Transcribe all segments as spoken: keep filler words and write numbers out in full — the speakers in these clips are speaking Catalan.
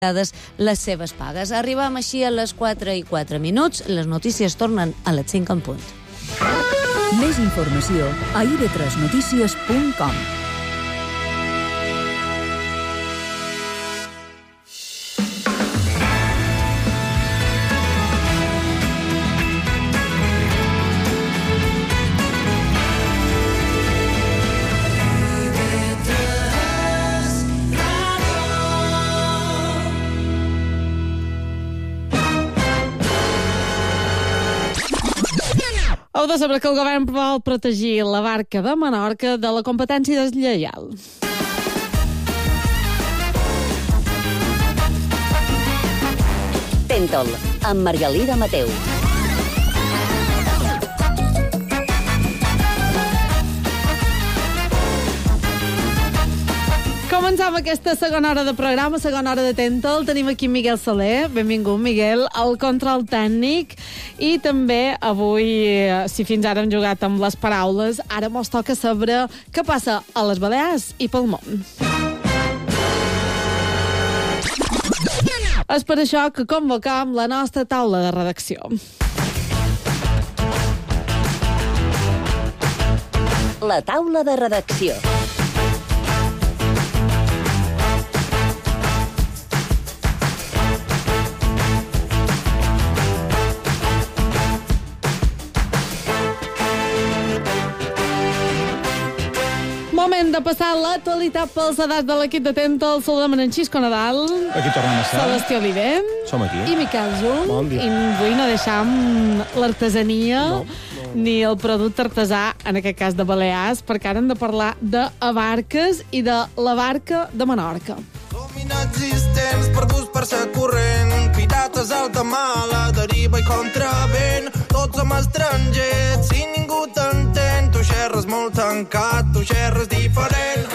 les seves pagues. Arribem així a les quatre i quatre minuts. Les notícies tornen a les cinc en punt. Més informació a i de tres notícies punt com. Heu de saber que el govern vol protegir la barca de Menorca de la competència deslleial. Tentol, amb Margalida Mateu. Comencem aquesta segona hora de programa, segona hora de Tentol. Tenim aquí Miguel Soler. Benvingut, Miguel, al control tècnic. I també avui, si fins ara hem jugat amb les paraules, ara mos toca saber què passa a les Balears i pel món. És per això que convocam la nostra taula de redacció. La taula de redacció. Moment de passar l'actualitat pels edats de l'equip de Tentol. Saludem en Xisco Nadal. Aquí tornem a estar. Celestí Oliver. Som aquí. I Miquel Zul. Bon dia. I avui no deixam l'artesania no, no. ni el producte artesà, en aquest cas de Balears, perquè ara hem de parlar d'abarques i de la barca de Menorca. Som inexistents, perduts per ser corrent, pirates alta mar, la deriva i contravent. Tots som estrangers, si ningú t'entén, tu xerres molt tancat, tu xerres diferent.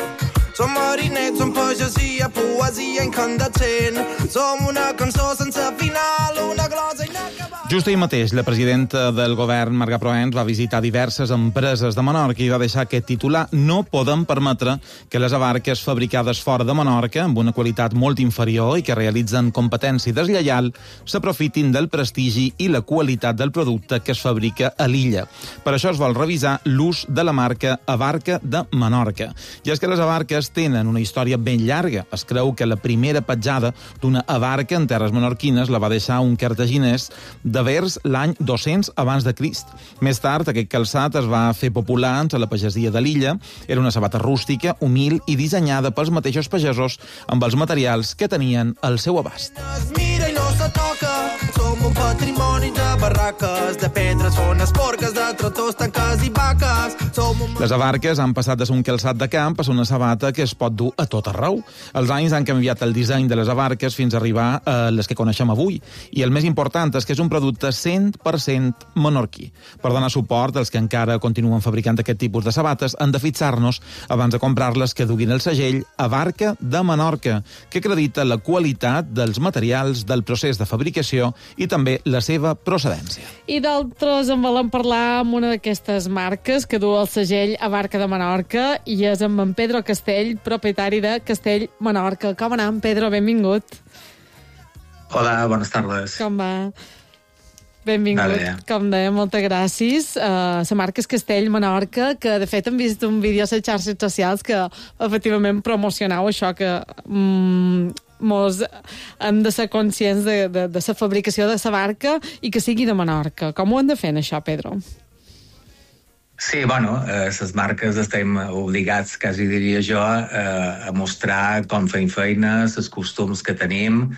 Som marinets, som pagesia, poesia incandescent. Som una cançó sense final, una glosa inacabada. Just ahir mateix, la presidenta del govern, Marga Proens, va visitar diverses empreses de Menorca i va deixar aquest titular: no podem permetre que les abarques fabricades fora de Menorca, amb una qualitat molt inferior i que realitzen competència deslleial, s'aprofitin del prestigi i la qualitat del producte que es fabrica a l'illa. Per això es vol revisar l'ús de la marca Abarca de Menorca. I és que les abarques tenen una història ben llarga. Es creu que la primera petjada d'una abarca en terres menorquines la va deixar un cartaginès de vers l'any dos-cents abans de Crist. Més tard, aquest calçat es va fer popular entre la pagesia de l'illa. Era una sabata rústica, humil i dissenyada pels mateixos pagesos amb els materials que tenien al seu abast. Mira i no se toca, som un patrimoni de barraques, de pedres, fones, porques, de tractors, tanques i vaques. Som un... Les abarques han passat de ser un calçat de camp a ser una sabata que es pot dur a tot arreu. Els anys han canviat el disseny de les abarques fins a arribar a les que coneixem avui. I el més important és que és un producte cent per cent menorquí. Per donar suport als que encara continuen fabricant aquest tipus de sabates, hem de fixar-nos, abans de comprar-les, que duguin el segell Abarca de Menorca, que acredita la qualitat dels materials, del procés de fabricació i també la seva procedència. I d'altres en volem parlar amb una d'aquestes marques que du el segell Abarca de Menorca i és amb en Pedro Castell, propietari de Castell Menorca. Com anem, Pedro? Benvingut. Hola, bones tardes. Com va? Benvingut. Vale. Com deia, moltes gràcies. Uh, la marca és Castell Menorca, que de fet hem vist un vídeo a les xarxes socials que efectivament promocionau això, que mm, mos hem de ser conscients de, de, de la fabricació de la barca i que sigui de Menorca. Com ho hem de fer, això, Pedro? Sí, bueno, eh, les marques estem obligats, quasi diria jo, eh, a mostrar com fem feina, els costums que tenim,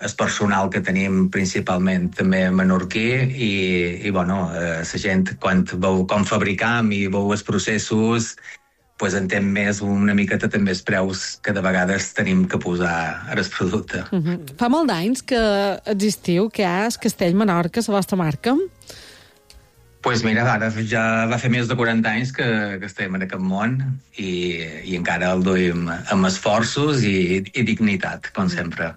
el personal que tenim principalment també menorquí i, i bueno, eh, la gent quan veu com fabricam i veu els processos pues entén més una miqueta també els preus que de vegades tenim que posar al producte. Uh-huh. Fa molt d'anys que existiu, que hi ha Castell Menorca, la vostra marca? Pues mira, ara ja va fer més de quaranta anys que, que estem en aquest món i, i encara el duim amb esforços i, i dignitat, com sempre.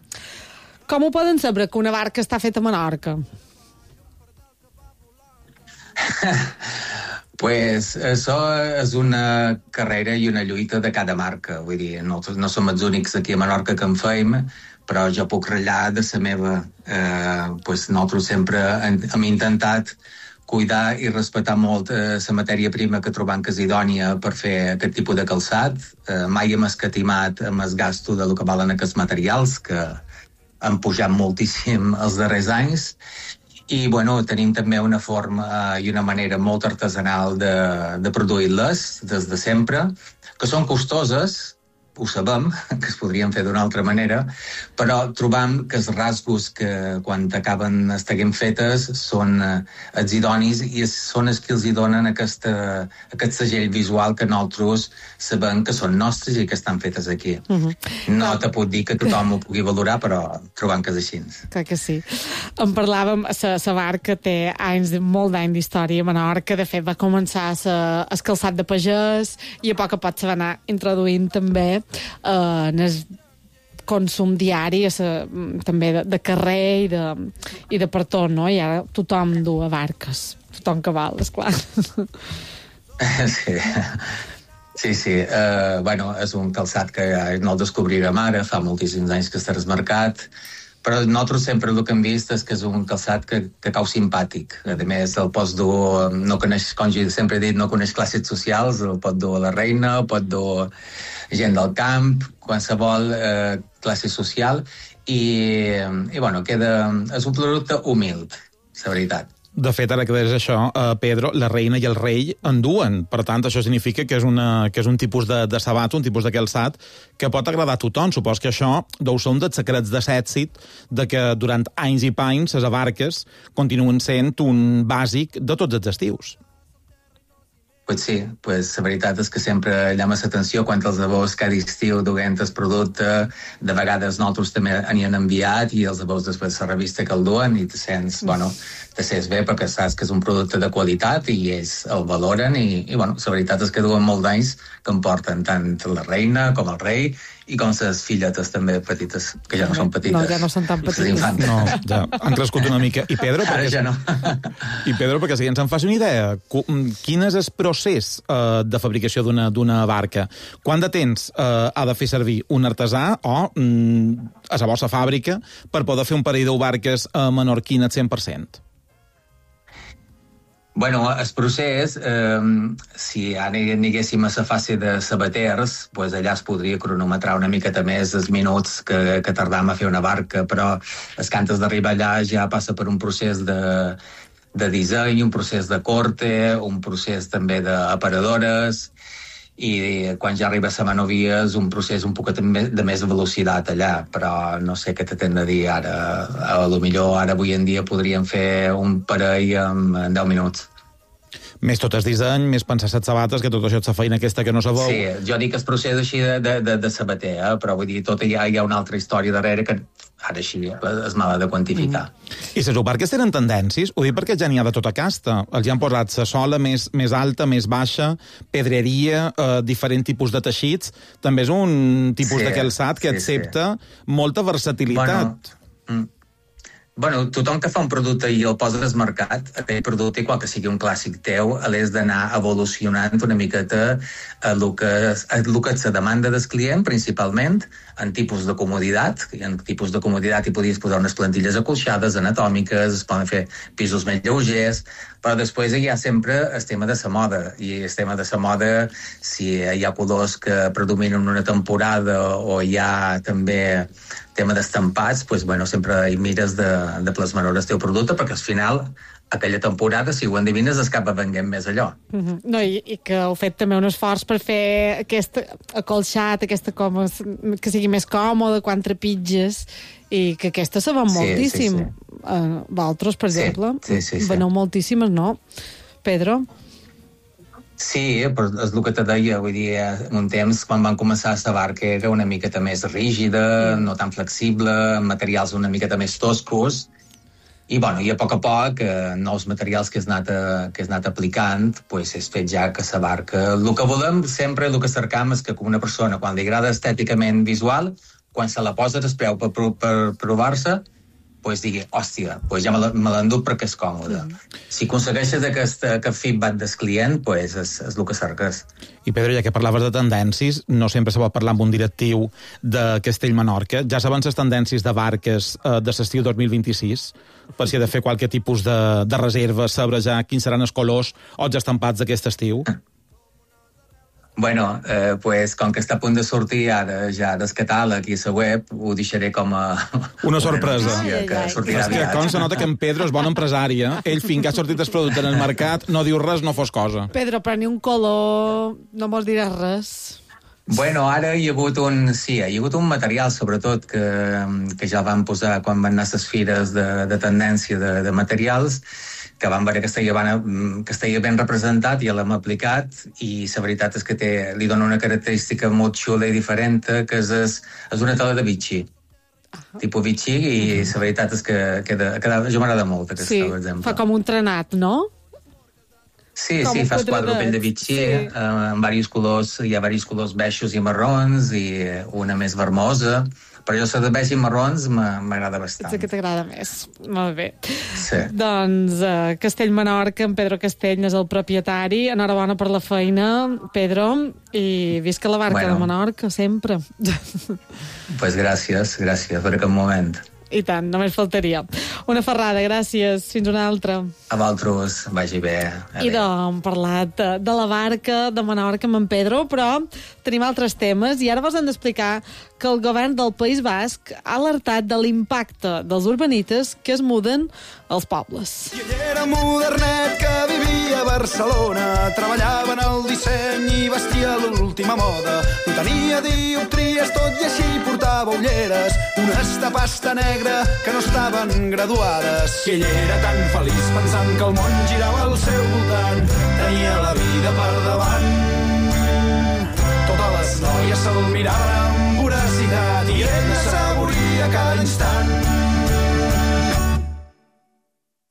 Com ho poden saber que una barca està feta a Menorca? Pues això és una carrera i una lluita de cada marca. Vull dir, no, no som els únics aquí a Menorca que en feim, però jo puc ratllar de la meva. Eh, pues nosaltres sempre hem, hem intentat cuidar i respectar molt la eh, matèria prima que trobam que és idònia per fer aquest tipus de calçat. Eh, mai hem escatimat amb el gasto de lo que valen aquests materials, que han pujat moltíssim els darrers anys. I, bueno, tenim també una forma i una manera molt artesanal de, de produir-les des de sempre, que són costoses, ho sabem, que es podrien fer d'una altra manera, però trobam que els rasgos que quan acaben estant fetes són eh, els idonis i són els que els hi donen aquesta, aquest segell visual que nosaltres sabem que són nostres i que estan fetes aquí. Uh-huh. No te puc dir que tothom ho pugui valorar, però trobam que és així. Clar que sí. En parlàvem, la barca té anys, molt d'any d'història a Menorca. De fet, va començar el calçat de pagès i a poc a poc se va anar introduint també Uh, en el consum diari, uh, també de, de carrer i de, i de per tot, no? I ara tothom du a barques, tothom que val, esclar. Sí, sí, sí. Uh, bueno, és un calçat que no el descobrirem ara, fa moltíssims anys que està al mercat, però nosaltres sempre el que hem vist és que és un calçat que, que cau simpàtic. A més, el pots dur, no coneix, com jo sempre he dit, no coneix classes socials, el pot dur a la reina, el pot dur gent del camp, qualsevol eh, classe social, i, i bueno, queda, és un producte humil, la veritat. De fet, ara que deies això, eh, Pedro, la reina i el rei enduen. Per tant, això significa que és, una, que és un tipus de, de sabat, un tipus de calçat que pot agradar a tothom. Supos que això deu ser un dels secrets de l'èxit de que durant anys i panys les barques continuen sent un bàsic de tots els estius. Pues sí, pues la veritat és que sempre llama l'atenció quan els abous cada estiu duguent el producte, de vegades nosaltres també n'hi han enviat i els abous després la revista que el duen i te sents, bueno, te sents bé perquè saps que és un producte de qualitat i ells el valoren i, i bueno, la veritat és que duen molt d'anys que em porten tant la reina com el rei i com les filletes també petites, que ja no són petites. No, ja no són tan petites. No, ja han crescut una mica. I Pedro, perquè, ja no. I Pedro, perquè si ens en faci una idea, quin és el procés eh, de fabricació d'una d'una barca? Quant de temps eh, ha de fer servir un artesà o mm, a la vostra fàbrica per poder fer un parell de barques a menorquina al cent per cent? Bueno, el procés, eh, si ara aniguéssim a la fase de sabaters, pues allà es podria cronometrar una miqueta més els minuts que, que tardam a fer una barca, però és que antes d'arribar allà ja passa per un procés de, de disseny, un procés de corte, un procés també d'aparadores, i quan ja arriba a la manovia és un procés un poquet de més velocitat allà, però no sé què t'hem de dir ara. A lo millor ara avui en dia podríem fer un parell en, en deu minuts. Més tot el disseny, més pensar les sabates, que tot això és la feina aquesta que no se veu. Sí, jo dic que el procés així de, de, de, de sabater, eh? Però vull dir, tot hi ha, hi ha una altra història darrere que ara així és mala de quantificar. Mm. I les barques tenen tendències? Ho dic perquè ja n'hi ha de tota casta. Els han posat la sola més, més alta, més baixa, pedreria, eh, diferents tipus de teixits. També és un tipus sí, de calçat que sí, accepta sí. molta versatilitat. Bueno, mm. Bueno, tothom que fa un producte i el posa al mercat, aquell producte, igual que sigui un clàssic teu, l'has d'anar evolucionant una miqueta a el que, a el que és la demanda del client, principalment, en tipus de comoditat. En tipus de comoditat hi podies posar unes plantilles acolxades, anatòmiques, es poden fer pisos més lleugers, però després hi ha sempre el tema de la moda, i el tema de la moda, si hi ha colors que predominen una temporada o hi ha també tema d'estampats, pues, bueno, sempre hi mires de, de plasmar el teu producte, perquè al final, aquella temporada, si ho endevines, es acaba venguent més allò. Mm-hmm. No, i, i que heu fet també un esforç per fer aquest acolxat, aquesta com, que sigui més còmode quan trepitges, i que aquesta se ven sí, moltíssim. Sí, sí. Uh, Valtros, per sí, exemple, sí, sí, sí. veneu moltíssimes, no? Pedro? Sí, però és el que te deia, vull dir, un temps, quan van començar a la barca, era una miqueta més rígida, no tan flexible, materials una miqueta més toscos, i, bueno, i a poc a poc, eh, nous materials que has anat, a, que has anat aplicant, pues, és fet ja que la barca... El que volem sempre, el que cercam és que una persona, quan li agrada estèticament visual, quan se la posa es preu per, per provar-se, pues, digui, hòstia, pues ja me l'enduc perquè és còmode. Mm. Si aconsegueixes aquest, aquest feedback del client, pues és, és el que cerques. I Pedro, ja que parlaves de tendències, no sempre se pot parlar amb un directiu de Castell-Menorca. Ja saben les tendències de barques eh, de l'estiu dos mil vint-i-sis, per si ha de fer qualque tipus de, de reserva, saber ja quins seran els colors o els estampats d'aquest estiu? Bueno, eh, pues, com que està a punt de sortir ara ja del catàleg i la web, ho deixaré com a... Una sorpresa. Una que sortirà és que com se nota que en Pedro és bon empresari, eh? Ell, fins que ha sortit el producte en el mercat, no diu res, no fos cosa. Pedro, però ni un color no mos diràs res. Bueno, ara hi ha hagut un... Sí, hi ha hagut un material, sobretot, que, que ja el van posar quan van anar a les fires de, de tendència de, de materials, que van veure que estaria, ben, que estaria ben representat i l'hem aplicat, i la veritat és que té, li dona una característica molt xula i diferent, que és, és una tela de Vichy. Uh-huh. Tipus Vichy, i uh-huh. la veritat és que queda, queda, jo m'agrada molt aquesta, sí, per exemple. Fa com un trenat, no? Sí, com sí, fas quadrupell de Vichy, sí. eh, amb diversos colors, hi ha diversos colors beixos i marrons, i una més vermosa. Però jo, la de beix i marrons m'agrada bastant. És que t'agrada més. Molt bé. Sí. Doncs uh, Castell-Menorca, en Pedro Castell és el propietari. Enhorabona per la feina, Pedro, i visca la barca bueno. de Menorca, sempre. Pues gràcies, gràcies per aquest moment. I tant, només faltaria. Una ferrada, gràcies. Fins una altra. A vosaltres, vagi bé. I doncs, parlat de, de la barca de Menorca amb en Pedro, però tenim altres temes i ara vos hem d'explicar que el govern del País Basc ha alertat de l'impacte dels urbanites que es muden als pobles. I ell era modernet que vivia a Barcelona, treballava en el disseny i vestia l'última moda. No tenia dioptries, tot i així portava ulleres, unes de pasta negra que no estaven graduades. I ell era tan feliç pensant que el món girava al seu voltant, tenia la vida per davant. Totes les noies se'l miraven amb voracitat i ell assaboria cada instant.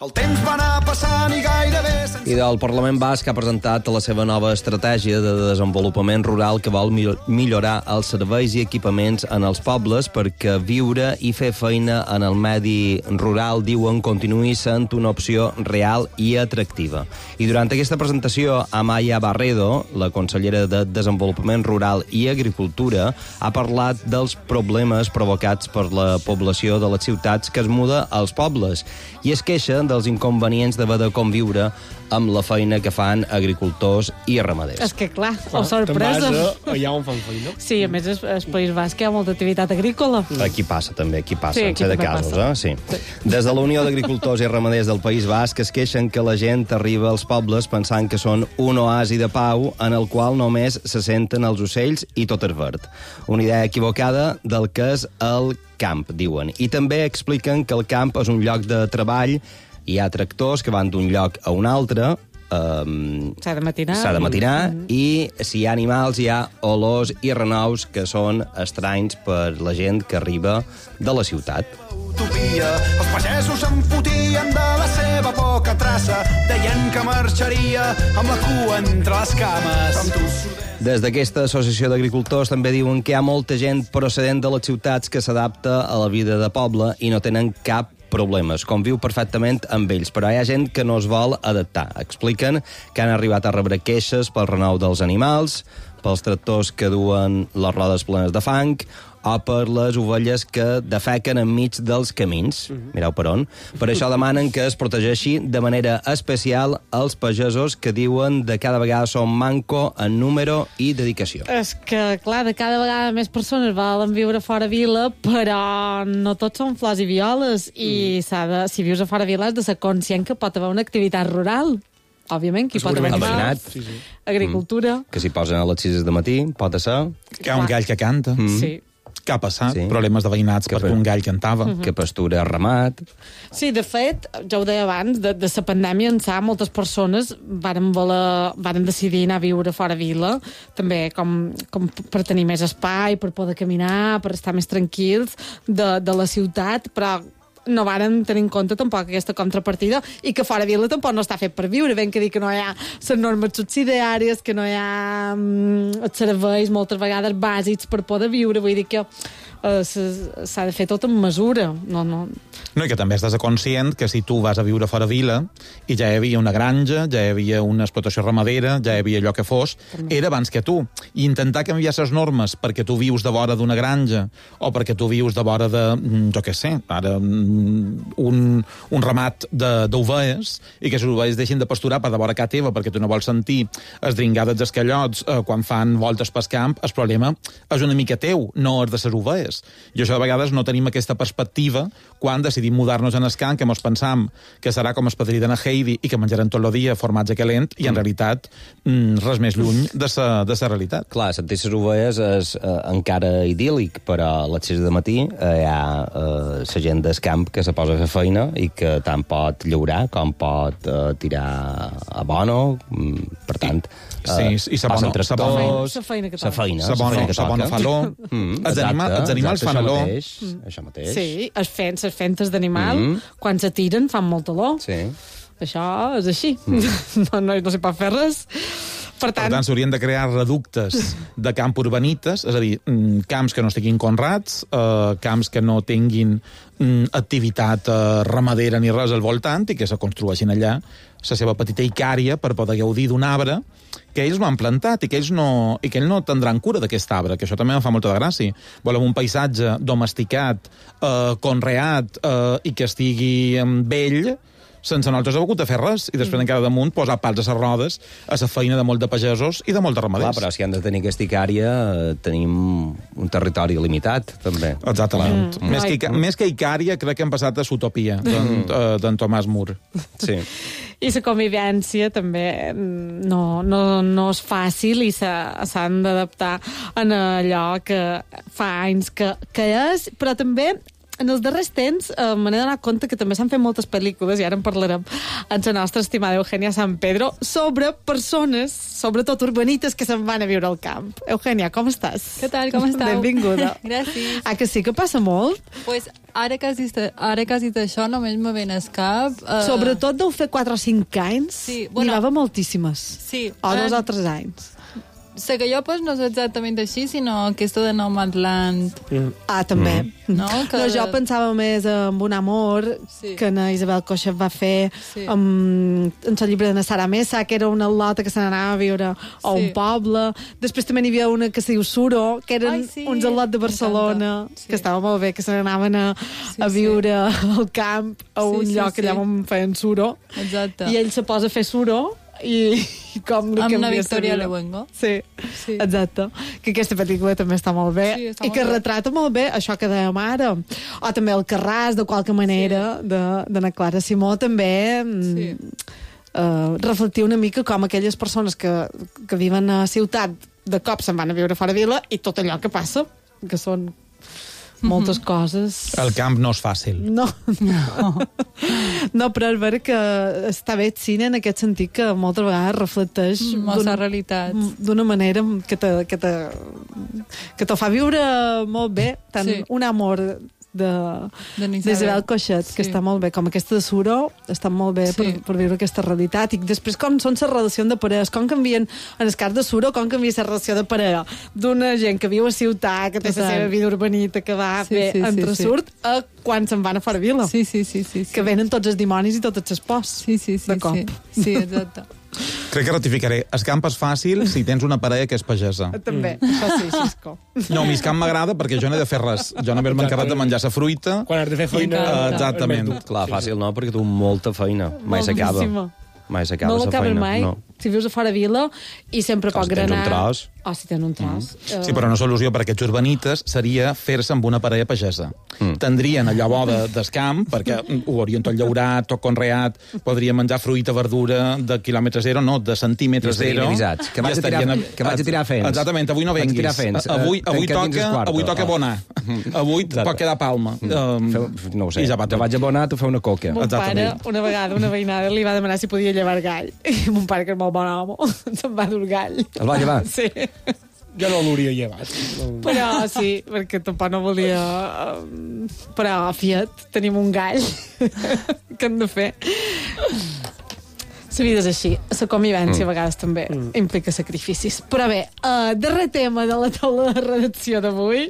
El temps va anar passant i gairebé... I del Parlament Basc ha presentat la seva nova estratègia de desenvolupament rural que vol millorar els serveis i equipaments en els pobles perquè viure i fer feina en el medi rural, diuen, continuï sent una opció real i atractiva. I durant aquesta presentació, Amaya Barredo, la consellera de Desenvolupament Rural i Agricultura, ha parlat dels problemes provocats per la població de les ciutats que es muda als pobles i es queixa dels inconvenients d'haver de conviure amb la feina que fan agricultors i ramaders. És que, clar, clar o sorpresa. Te'n vas allà on fan feina. Sí, a més, el País Basc hi ha molta activitat agrícola. Aquí passa, també, aquí passa, sí, en sé de casos, eh? Sí. sí. Des de la Unió d'Agricultors i Ramaders del País Basc es queixen que la gent arriba als pobles pensant que són un oasi de pau en el qual només se senten els ocells i tot és verd. Una idea equivocada del que és el camp, diuen. I també expliquen que el camp és un lloc de treball. Hi ha tractors que van d'un lloc a un altre. Um, s'ha de matinar. S'ha de matinar mm -hmm. i si hi ha animals hi ha olors i renous que són estranys per la gent que arriba de la ciutat. Utopia. Els pagesos se'n fotien de la seva poca traça, deien que marxaria amb la cua entre les cames. Des d'aquesta associació d'agricultors també diuen que hi ha molta gent procedent de les ciutats que s'adapta a la vida de poble i no tenen cap problemes, conviu perfectament amb ells, però hi ha gent que no es vol adaptar. Expliquen que han arribat a rebre queixes pel renou dels animals, pels tractors que duen les rodes plenes de fang, o per les ovelles que defequen enmig dels camins. Uh-huh. Mireu per on. Per això demanen que es protegeixi de manera especial els pagesos que diuen de cada vegada són manco en número i dedicació. És que, clar, de cada vegada més persones volen viure fora vila, però no tots són flors i violes, i mm. s'ha de, si vius a fora vila has de ser conscient que pot haver una activitat rural. Òbviament, qui pot haver animals, sí, sí. agricultura... Mm. Que s'hi posen a les sis de matí, pot ser... Que hi ha un gall que canta. Mm. Sí. Què ha passat? Sí. Problemes de veïnats que perquè per... un gall cantava. Uh-huh. Que pastura ramat. Sí, de fet, ja ho deia abans, de, de la pandèmia ençà moltes persones varen, voler, varen decidir anar a viure fora vila, també com, com per tenir més espai, per poder caminar, per estar més tranquils de, de la ciutat, però no varen tenir en compte tampoc aquesta contrapartida i que fora vila tampoc no està fet per viure. Ben que dir que no hi ha les normes subsidiàries, que no hi ha um, els serveis moltes vegades bàsics per poder viure. Vull dir que uh, s'ha de fer tot amb mesura. No, no, No, i que també estàs conscient que si tu vas a viure fora vila i ja hi havia una granja, ja hi havia una explotació ramadera, ja hi havia allò que fos, era abans que tu. I intentar canviar les normes perquè tu vius de vora d'una granja o perquè tu vius de vora de, jo què sé, ara, un, un ramat d'ovelles i que les ovelles deixin de pasturar per de vora casa teva perquè tu no vols sentir es dringades dels callots eh, quan fan voltes pel camp, el problema és una mica teu, no és de les ovelles. I això de vegades no tenim aquesta perspectiva quan decidim mudar-nos en el camp, que mos pensam que serà com el padrí de na Heidi i que menjarem tot el dia formatge calent, i en mm. realitat mm, res més lluny de sa, de sa realitat. Clar, sentir les ovelles és eh, encara idíl·lic, però a les sis de matí eh, hi ha eh, la gent del camp que se posa a fer feina i que tant pot llaurar com pot eh, tirar abono, mm, per tant... Sí, i sa bona, sa bona, sa feina que toca. Sa feina, sa bona, sa bona faló. Mm, els, anima, els animals fan això olor. Mateix, mm. Això mateix. Sí, es fent, les fentes d'animal, mm. quan se tiren fan molt olor. Sí. Això és així. Mm. No, no, no se pot fer res. Per tant, per tant s'haurien de crear reductes de camp urbanites, és a dir, camps que no estiguin conrats, eh, camps que no tinguin mm, activitat eh, ramadera ni res al voltant i que se construeixin allà la seva petita icària per poder gaudir d'un arbre que ells no han plantat i que ells no, i que ells no tindran cura d'aquest arbre, que això també em fa molta de gràcia. Volem un paisatge domesticat, eh, conreat eh, i que estigui eh, vell, sense nosaltres hem hagut de fer res, i després mm. encara damunt posar pals a les rodes a la feina de molt de pagesos i de molt de ramaders. Clar, però si han de tenir aquesta icària, tenim un territori limitat, també. Exactament. Mm. Més, que, més que icària, crec que hem passat a l'utopia d'en Tomàs Mur. Sí. I la convivència també no, no, no és fàcil i s'han d'adaptar en allò que fa anys que, que és, però també en els darrers temps eh, me n'he donat compte que també s'han fet moltes pel·lícules, i ara en parlarem amb la nostra estimada Eugènia San Pedro, sobre persones, sobretot urbanites, que se'n van a viure al camp. Eugènia, com estàs? Què tal, com estàu? Benvinguda. Gràcies. Ah, que sí que passa molt? Pues ara que has dit, ara que has dit això, només me ven al cap... Uh... Sobretot deu fer quatre o cinc anys, sí, bueno, n'hi va moltíssimes. Sí. O dos uh... o tres anys. La que jo pues, no és exactament així, sinó aquesta de Nomadland. Mm. Ah, també. Mm. No, que... no, jo pensava més en Un amor, sí. que na Isabel Coixet va fer sí. amb, en el llibre de na Sara Mesa, que era una lota que se n'anava a viure a sí. un poble. Després també n'hi havia una que se diu Suro, que eren Ai, sí. uns al·lots de Barcelona, sí. que estava molt bé, que se n'anaven a, sí, a viure sí. al camp, a un sí, lloc sí, allà sí. on feien Suro. Exacte. I ell se posa a fer Suro, i, i com li amb la Victoria Luengo. Sí, sí, exacte. Que aquesta pel·lícula també està molt bé sí, està i molt que bé. retrata molt bé això que dèiem ara. O també el Carràs, de qualque manera, sí. de, de na Clara Simó, també sí. uh, reflectir una mica com aquelles persones que, que viven a ciutat de cop se'n van a viure fora vila i tot allò que passa, que són moltes mm-hmm. coses... El camp no és fàcil. No. No. No, però és vera que està bé el cine en aquest sentit que moltes vegades reflecteix molta realitat. D'una manera que te, que te, que te fa viure molt bé. Tant sí. Un amor de, d'Isabel Coixet, que sí. està molt bé, com aquesta de Suro, està molt bé sí. per, per viure aquesta realitat. I després com són les relacions de parelles, com canvien, en el cas de Suro, com canvia la relació de parella d'una gent que viu a ciutat, que té la seva vida urbanita, que va sí, bé, sí, entresurt, sí, sí. a quan se'n van a fora vila. Sí, sí, sí, sí, sí. Que venen tots els dimonis i totes les pors. Sí, sí, sí. De cop. Sí, sí exacte. Crec que ratificaré. El camp és fàcil si tens una parella que és pagesa. També, mm. això sí, Xisco. No, a mi el camp m'agrada perquè jo no he de fer res. Jo no m'he encarregat de menjar la fruita. Quan has de fer feina... Uh, exactament. Clar, fàcil no, perquè tu molta feina. Mai s'acaba. Mai s'acaba no la feina. Mai. No. Si vius a fora vila i sempre pot granar... Si tens un tros... O si tens un tros. Mm. Sí, però una solució per a aquests urbanites seria fer-se amb una parella pagesa. Mm. Tendrien allò bo de, del camp, perquè ho haurien tot llaurat, tot conreat, podrien menjar fruita, verdura de quilòmetre zero, no, de centímetre zero. Avisats. Que vaig, a tirar, a, que vaig a tirar fents. Exactament, avui no venguis. Avui, avui, toca, avui toca abonar. Avui pot quedar palma. Um, Feu, no ho sé, ja te vaig abonar, tu feu una coca. Mon pare, una vegada, una veïnada li va demanar si podia llevar gall. I mon pare, que és molt bon home, se'n va dur gall. El va llevar? Sí. Jo no l'hauria llevat. Però sí, perquè tampoc no volia... Però, fiat, tenim un gall que hem de fer. La vida és així. La convivència mm. a vegades també mm. implica sacrificis. Però bé, uh, darrer tema de la taula de redacció d'avui.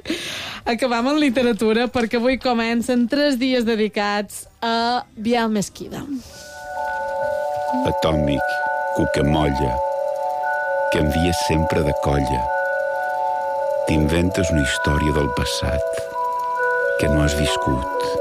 Acabam en literatura perquè avui comencen tres dies dedicats a Biel Mesquida. Atòmic, cucamolla, que envies sempre de colla. T'inventes una història del passat que no has viscut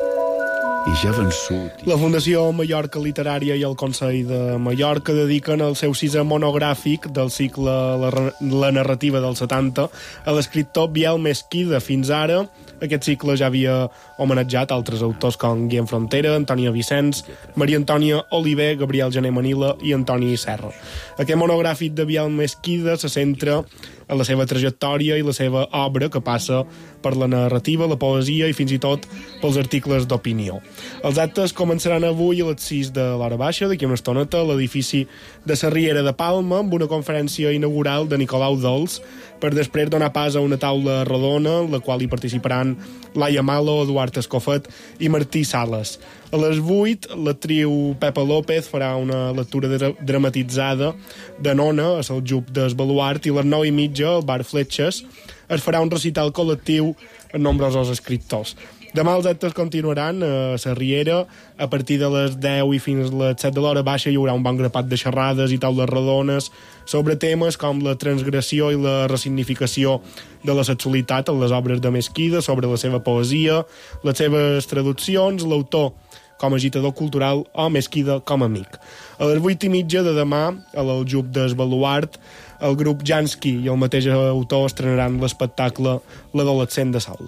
i ja vençut. La Fundació Mallorca Literària i el Consell de Mallorca dediquen el seu sisè monogràfic del cicle La, la narrativa dels setanta a l'escriptor Biel Mesquida. Fins ara, aquest cicle ja havia homenatjat altres autors com Guillem Frontera, Antònia Vicenç, Maria Antònia Oliver, Gabriel Gené Manila i Antoni Serra. Aquest monogràfic de Biel Mesquida se centra en la seva trajectòria i la seva obra, que passa per la narrativa, la poesia i fins i tot pels articles d'opinió. Els actes començaran avui a les sis de l'hora baixa, d'aquí una estoneta, a l'edifici de la Riera de Palma, amb una conferència inaugural de Nicolau Dols, per després donar pas a una taula rodona, en la qual hi participaran Laia Malo, Eduard Escofet i Martí Sales. A les vuit, l'actriu Pepa López farà una lectura dra dramatitzada de Nona, a Seljub del Baluart, i a les nou i mitja, al bar Fletxes, es farà un recital col·lectiu amb nombrosos escriptors. Demà els actes continuaran a la Riera. A partir de les deu i fins a les set de l'hora baixa hi haurà un bon grapat de xerrades i taules rodones sobre temes com la transgressió i la resignificació de la sexualitat en les obres de Mesquida, sobre la seva poesia, les seves traduccions, l'autor com a agitador cultural o Mesquida com a amic. A les vuit i mitja de demà, a l'Aljub del Baluart, el grup Jansky i el mateix autor estrenaran l'espectacle L'adolescent de Sol.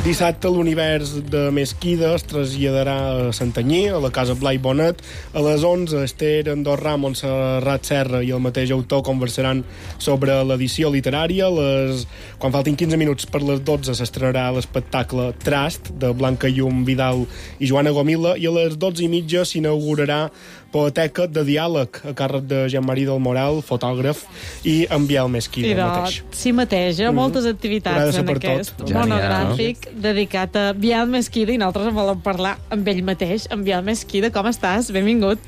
Dissabte l'univers de Mesquida es traslladarà a Santanyí, a la Casa Blai Bonet. A les onze, Esther Andorra, Montserrat Serra i el mateix autor conversaran sobre l'edició literària. Les... Quan faltin quinze minuts per les dotze s'estrenarà l'espectacle Trast, de Blanca Llum Vidal i Joana Gomila, i a les dotze i mitja s'inaugurarà Poeteca de Diàleg, a càrrec de Jean-Marie del Moral, fotògraf, i en Biel Mesquida I de, mateix. Sí mateix, eh? Mm. Moltes activitats en aquest tot. monogràfic no? dedicat a Biel Mesquida, i nosaltres en volem parlar amb ell mateix. En Biel Mesquida, com estàs? Benvingut.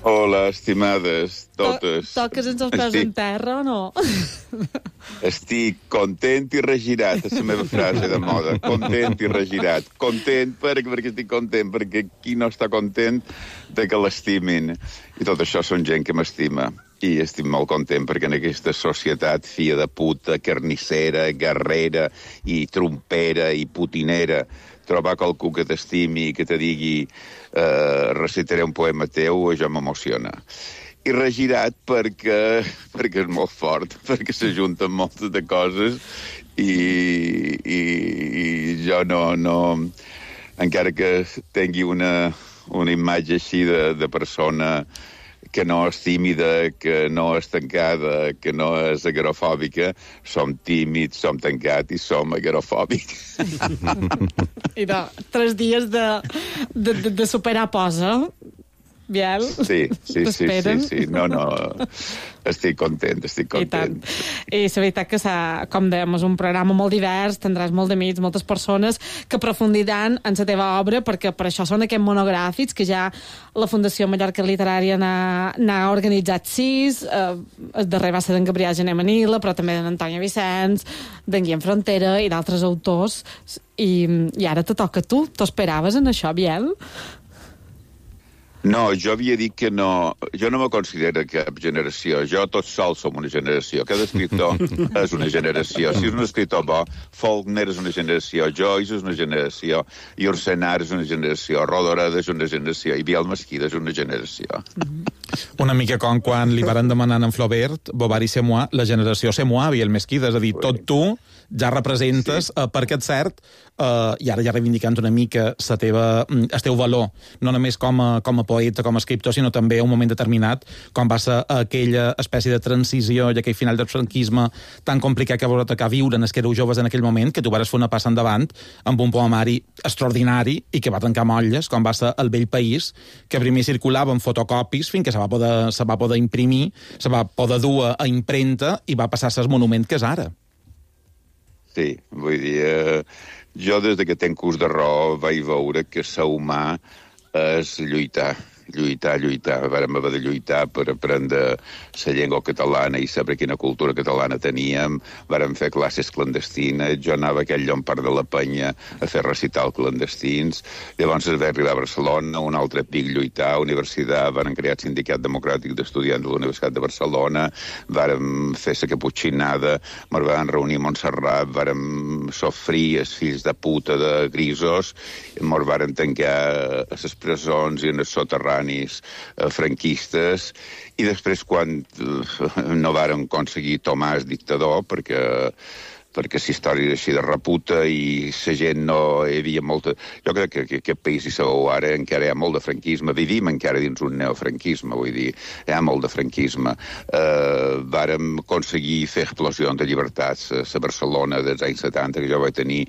Hola, estimades, totes. To toques ens els peus Estic... en terra o no? Estic content i regirat, és la meva frase de moda. Content i regirat. Content perquè, perquè estic content, perquè qui no està content de que l'estimin. I tot això són gent que m'estima. I estic molt content perquè en aquesta societat fia de puta, carnissera, guerrera i trompera i putinera, trobar qualcú que t'estimi i que te digui eh, recitaré un poema teu, això m'emociona. I regirat perquè, perquè és molt fort, perquè s'ajunten moltes de coses i, i, i jo no, no... Encara que tingui una, una imatge així de, de persona que no és tímida, que no és tancada, que no és agarofòbica, som tímids, som tancats i som agarofòbics. I de tres dies de, de, de, de superar posa, Biel? Sí, sí, sí, sí, sí. No, no, estic content, estic content. I, I la veritat que, com dèiem, és un programa molt divers, tindràs molt d'amics, moltes persones que aprofundiran en la teva obra, perquè per això són aquests monogràfics, que ja la Fundació Mallorca Literària n'ha organitzat sis, eh, el darrer va ser d'en Gabriel Gené Manila, però també d'en Antònia Vicenç, d'en Guillem Frontera i d'altres autors, i, i ara te toca a tu. T'ho esperaves en això, Biel? No, jo havia dit que no... Jo no me considero cap generació. Jo tots sols som una generació. Cada escriptor és una generació. Si és un escriptor bo, Faulkner és una generació, Joyce és una generació, Yourcenar és una generació, Rodoreda és una generació, i Biel Mesquida és una generació. Una mica com quan li varen demanar en Flaubert, Bovary c'est moi, la generació c'est moi, Biel Mesquida, és a dir, tot tu ja representes, sí. eh, perquè és cert, eh, i ara ja reivindicant una mica la teva, el teu valor, no només com a, com a poeta, com a escriptor, sinó també a un moment determinat, quan va ser aquella espècie de transició i aquell final del franquisme tan complicat que vau tocar viure en els que éreu joves en aquell moment, que tu vas fer una passa endavant amb un poemari extraordinari i que va trencar molles, com va ser El vell país, que primer circulava en fotocopis fins que se va poder, se va poder imprimir, se va poder dur a impremta i va passar a ser el monument que és ara. Sí, vull dir, eh, jo des que tenc ús de raó vaig veure que ser humà és lluitar. lluitar, lluitar. Vàrem haver de lluitar per aprendre la llengua catalana i saber quina cultura catalana teníem. Vàrem fer classes clandestines. Jo anava a aquell llompar de la Penya a fer recital clandestins. Llavors es va arribar a Barcelona, un altre pic lluitar, universitat, vàrem crear el Sindicat Democràtic d'Estudiants de la Universitat de Barcelona, vàrem fer la caputxinada, ens vam reunir a Montserrat, vàrem sofrir els fills de puta de grisos, ens vàrem tancar a les presons i en els soterranis franquistes, i després quan no vàrem aconseguir Tomàs dictador, perquè perquè la història és així de reputa i la gent no hi havia molta... Jo crec que, que aquest país, si sabeu ara, encara hi ha molt de franquisme. Vivim encara dins un neofranquisme, vull dir, hi ha molt de franquisme. Uh, vàrem aconseguir fer explosions de llibertats a la Barcelona dels anys setanta, que jo vaig tenir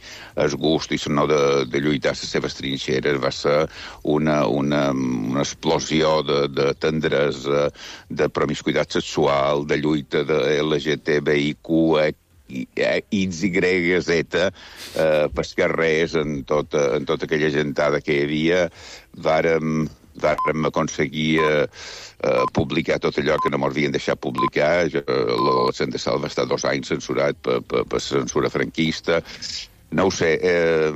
el gust i no de, de lluitar a les seves trinxeres. Va ser una, una, una explosió de, de tendresa, de promiscuitat sexual, de lluita de L G T B I Q, X, Y, Z, eh, pels carrers, en tota, en tota aquella gentada que hi havia, vàrem, vàrem aconseguir eh, eh, publicar tot allò que no m'havien deixat publicar. Jo, l'adolescent de Sal va estar dos anys censurat per, per, per censura franquista. No ho sé, eh,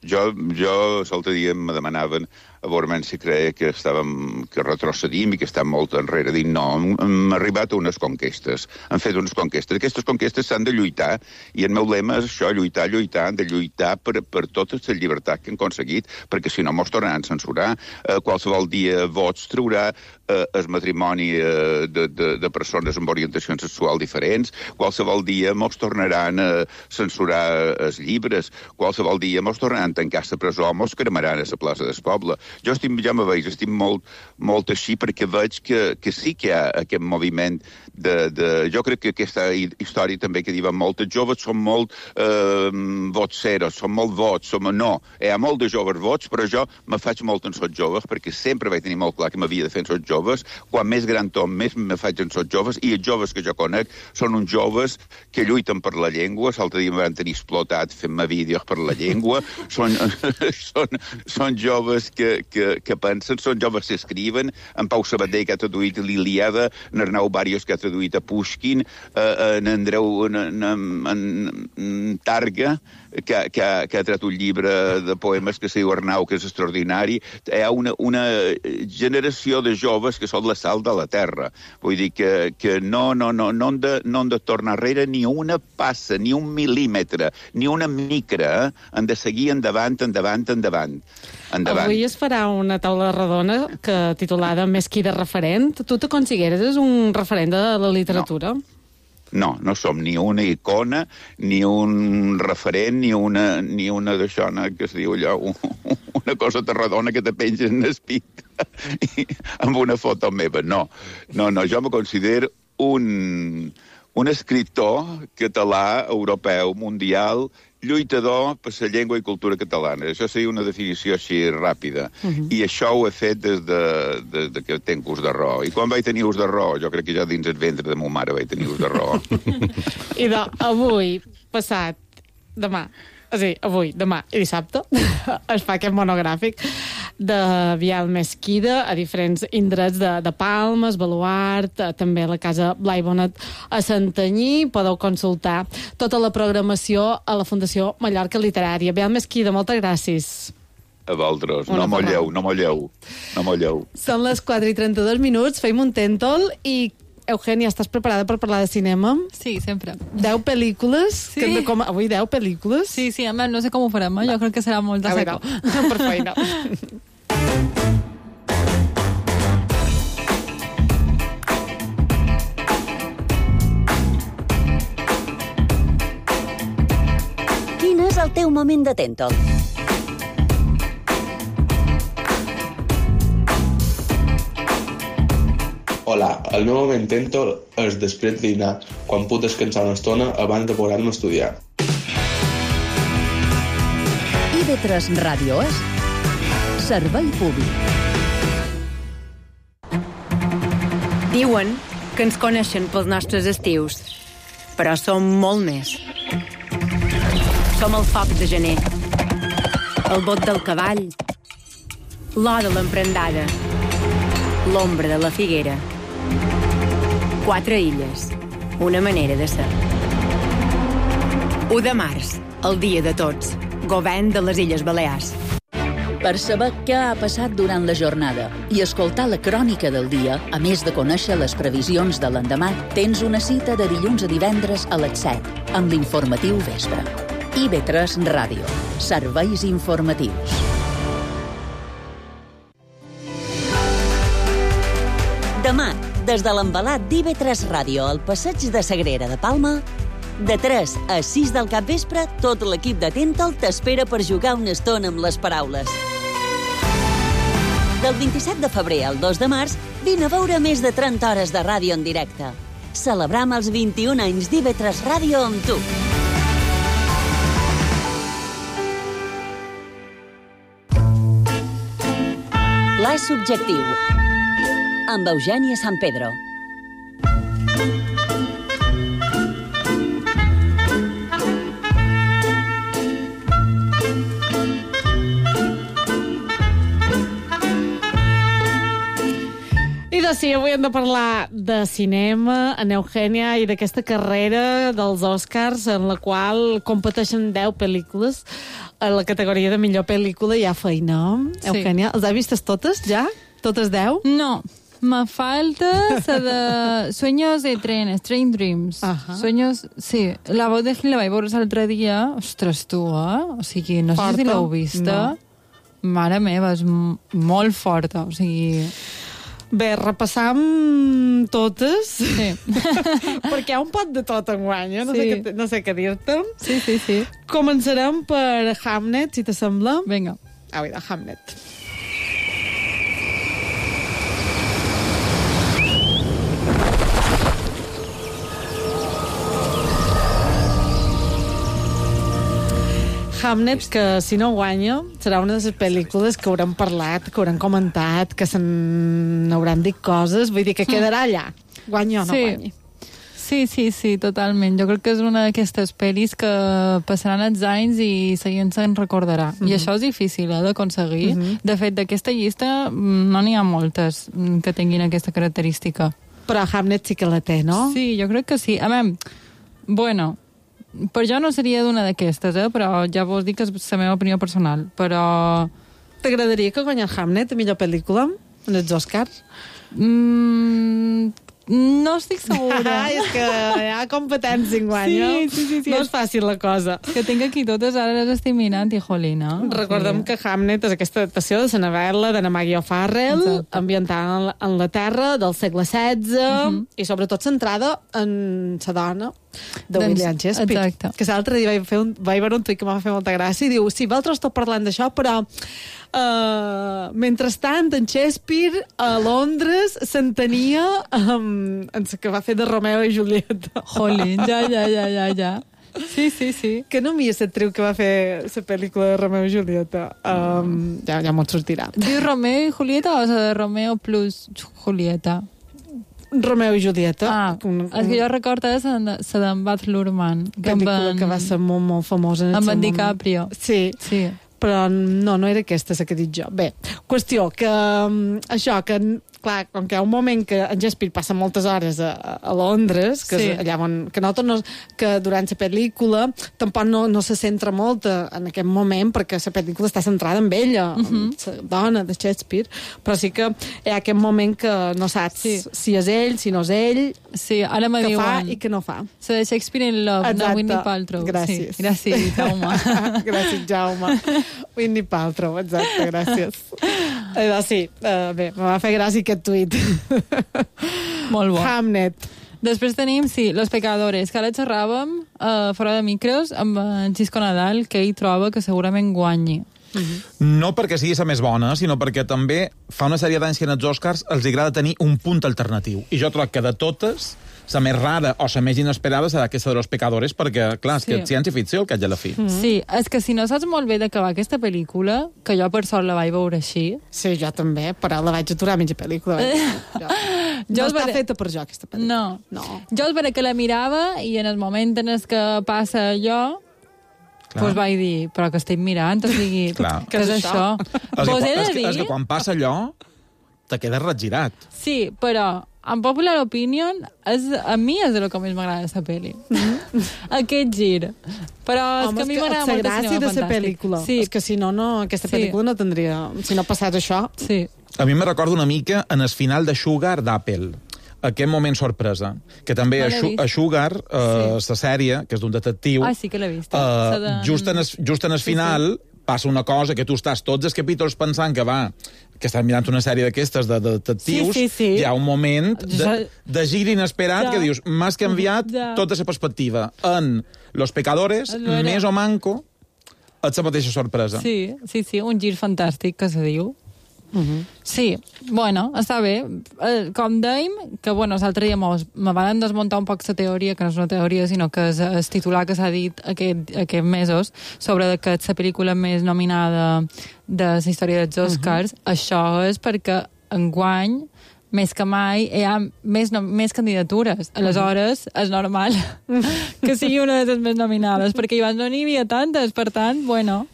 jo, jo l'altre dia me demanaven a veure si creia que estàvem, que retrocedim i que estem molt enrere. Dic, no, hem arribat a unes conquestes, hem fet unes conquestes. Aquestes conquestes s'han de lluitar, i el meu lema és això, lluitar, lluitar, han de lluitar per, per totes les llibertats que han aconseguit, perquè si no mos tornaran a censurar. Eh, qualsevol dia Vox traurà eh, el matrimoni eh, de, de, de persones amb orientacions sexuals diferents, qualsevol dia mos tornaran a censurar els llibres, qualsevol dia mos tornaran a tancar la presó, mos cremaran a la plaça del poble. Jo estic, ja me veig, estic molt, molt així perquè veig que, que sí que hi ha aquest moviment de, de... Jo crec que aquesta història també que diuen molt, els joves són molt eh, votseros, són molt vots, som... no, hi ha molt de joves vots, però jo me faig molt en sots joves perquè sempre vaig tenir molt clar que m'havia de fer en sots joves. Quan més gran tom, més me faig en sots joves, i els joves que jo conec són uns joves que lluiten per la llengua. L'altre dia em van tenir explotat fent-me vídeos per la llengua. Són, són, són joves que Que, que pensen, són joves que escriuen, en Pau Sabadell, que ha traduït l'Iliada, en Arnau Bàrios, que ha traduït a Pushkin, eh, en Andreu en, en, en, en Targa, que, que, ha, que ha tret un llibre de poemes que se diu Arnau, que és extraordinari. Hi ha una, una generació de joves que són la sal de la terra. Vull dir que, que no, no, no, no, han de, no han de tornar enrere ni una passa, ni un mil·límetre, ni una micra. Eh? Han de seguir endavant, endavant, endavant. Endavant. Avui es farà una taula redona que titulada Més qui de referent. Tu te consideres un referent de la literatura? No. No, no som ni una icona, ni un referent, ni una, ni una d'això que es diu allò, una cosa redona que te penges en el pit amb una foto meva. No, no, no, jo me considero un, un escriptor català, europeu, mundial, lluitador per la llengua i cultura catalana. Això seria una definició així ràpida. Uh-huh. I això ho he fet des de, de, de que tenc ús de raó. I quan vaig tenir ús de raó? Jo crec que ja dins el ventre de ma mare vaig tenir ús de raó. I de, avui, passat, demà, sí, avui, demà i dissabte, es fa aquest monogràfic de Biel Mesquida a diferents indrets de, de Palmes, Baluart, també a la Casa Blai Bonet a Santanyí. Podeu consultar tota la programació a la Fundació Mallorca Literària. Biel Mesquida, moltes gràcies. A vosaltres. No molleu, no molleu, no molleu. Són les quatre i trenta-dos minuts, feim un tèntol i Eugènia, estàs preparada per parlar de cinema? Sí, sempre. Deu pel·lícules? Sí. Que com... Avui deu pel·lícules? Sí, sí, a més, no sé com ho farem, eh? Jo crec que serà molt de seco. Per feina. Quin és el teu moment de tèntol? Hola, el meu moment tèntol és després de dinar, quan puc descansar una estona abans de posar-me a estudiar. I ve tres Ràdio és Servei Públic. Diuen que ens coneixen pels nostres estius, però som molt més. Som el foc de gener, el bot del cavall, l'or de l'emprendada, l'ombra de la figuera. Quatre illes, una manera de ser. u de març, el dia de tots, govern de les Illes Balears. Per saber què ha passat durant la jornada i escoltar la crònica del dia, a més de conèixer les previsions de l'endemà, tens una cita de dilluns a divendres a les set, amb l'informatiu vespre. I ve tres Ràdio. Serveis informatius. Demà, des de l'embalat d'I V tres Ràdio al passeig de Sagrera de Palma, de tres a sis del capvespre, tot l'equip de Tental t'espera per jugar una estona amb les paraules. Del vint-i-set de febrer al dos de març, vine a veure més de trenta hores de ràdio en directe. Celebram els vint-i-un anys d'I V tres Ràdio amb tu. L'A subjectiu, amb Eugènia San Pedro. I doncs sí, avui hem de parlar de cinema, en Eugènia, i d'aquesta carrera dels Oscars en la qual competeixen deu pel·lícules. A la categoria de millor pel·lícula hi ha feina. Sí. Eugènia, els has vistes totes ja? Totes deu? No, me falta la de Sueños de tren, Strange Dreams. Ajá. Sueños, sí, la veu de Hill la vaig veure l'altre dia. Ostres, tu, eh? O sigui, no Forta? sé si l'heu vista. No. Mare meva, és m- molt forta, o sigui... Bé, repassam totes. Sí. Perquè hi ha un pot de tot enguany, eh? No, Sí. sé què, no sé què dir-te. Sí, sí, sí. Començarem per Hamnet, si t'assembla. Vinga. Au, de Hamnet. Hamnet, que si no guanya, serà una de les pel·lícules que hauran parlat, que hauran comentat, que se n'hauran dit coses, vull dir que quedarà allà. Guanya o no Sí. guanyi. Sí, sí, sí, totalment. Jo crec que és una d'aquestes pel·lis que passaran els anys i la gent se'n recordarà. Mhm. I això és difícil, eh, d'aconseguir. Mhm. De fet, d'aquesta llista mm, no n'hi ha moltes mm, que tinguin aquesta característica. Però Hamnet sí que la té, no? Sí, jo crec que sí. A veure, bueno, per jo no seria d'una d'aquestes, eh? Però ja vos dic que és la meva opinió personal. Però... T'agradaria que guanyés Hamnet a millor pel·lícula en els Oscars? Mm, no estic segura. Ah, és que hi ha competència en guany, Sí, sí, sí, sí. No és fàcil la cosa. Que tinc aquí totes, ara les estic mirant i jolina. Recordem que Hamnet és aquesta adaptació de la novel·la d'Anna Maggie O'Farrell, Exacte. ambientada en la- en la Terra del segle setze, Mhm. i sobretot centrada en la dona de Doncs, William Shakespeare. exacte. Que l'altre dia vaig, fer un, vaig veure un tuit que m'ha fet molta gràcia i diu, sí, vosaltres esteu parlant d'això, però uh, mentrestant en Shakespeare a Londres s'entenia um, en la que va fer de Romeo i Julieta. Jolín, ja, ja, ja, ja, ja. Sí, sí, sí. Que no m'hi és l'actriu que va fer la pel·lícula de Romeo i Julieta. Um, ja, ja m'ho sortirà. Diu Romeo i Julieta o la de Romeo plus Julieta? Romeo i Julieta. Ah, un, és que jo recordo la d'en Baz Luhrmann. pel·lícula que va ser molt, molt famosa en el amb seu en moment. DiCaprio. Sí. Sí. Però no, no era aquesta la que he dit jo. Bé, qüestió, que um, això, que clar, com que hi ha un moment que en Shakespeare passa moltes hores a, a Londres, que, Sí. és allà on, que nosaltres no, que durant la pel·lícula tampoc no, no se centra molt en aquest moment, perquè la pel·lícula està centrada en ella, uh -huh. la dona de Shakespeare, però sí que hi ha aquest moment que no saps sí. si és ell, si no és ell, sí, ara me que diuen, fa i que no fa. la de Shakespeare in Love, Exacte. no Whitney Paltrow. Gràcies. Sí, gràcies, Jaume. Gràcies, Jaume. Whitney Paltrow, exacte, gràcies. Eh, doncs sí, uh, bé, me va fer gràcia aquest tuit. Molt bo. Hamnet. Després tenim, sí, Los Pecadores, que ara xerràvem uh, fora de micros amb en Xisco Nadal, que ell troba que segurament guanyi. No perquè sigui la més bona, sinó perquè també fa una sèrie d'anys que en els Oscars els agrada tenir un punt alternatiu. I jo trobo que de totes, la més rara o la més inesperada serà aquesta de Los Pecadores, perquè, clar, és Sí. que és ciència-ficció, el que ja la fi. Sí, és que si no saps molt bé d'acabar aquesta pel·lícula, que jo per sort la vaig veure així... Sí, jo també, però la vaig aturar a mitja pel·lícula. Jo, Jo no els està veure- feta per jo, aquesta pel·lícula. No. no. Jo és vera que la mirava i en el moment en el que passa allò, Clar. doncs vaig dir, però que estic mirant, o sigui, Clar. què és això? És que, Vos he de és, que, és dir... que quan passa allò, te quedes regirat. Sí, però en popular opinion, és, a mi és el que més m'agrada de la pel·li. Aquest gir. Però és Home, que a mi és m'agrada la molt el gràcia cinema de la fantàstic. pel·lícula. Sí. És que si no, no aquesta Sí. pel·lícula no tindria... Si no passés això... Sí. A mi me recorda una mica en el final de Sugar d'Apple, aquest moment sorpresa, que també No a, l'he Shu vist. a Sugar, eh, la sèrie, que és d'un detectiu, Ah, sí que l'he vist. eh, La de- just, en el, just en el Sí, final passa una cosa que tu estàs tots els capítols pensant que va, que estàs mirant una sèrie d'aquestes de, de detectius, Sí, sí, sí. hi ha un moment de, Ja- de gir inesperat Ja. que dius, m'has canviat Ja. tota la perspectiva. En Los Pecadores, És vera. més o manco, és la mateixa sorpresa. Sí, sí, sí, un gir fantàstic, que se diu. Uh -huh. Sí, bueno, està bé. Eh, com dèiem, que bueno, l'altre dia mos, me van desmuntar un poc la teoria, que no és una teoria, sinó que és el titular que s'ha dit aquest, aquests mesos sobre que és la pel·lícula més nominada de la història dels Oscars. Uh -huh. Això és perquè enguany, més que mai, hi ha més, no, més candidatures. Aleshores, és normal que sigui una de les més nominades, perquè abans no n'hi havia tantes, per tant, bueno...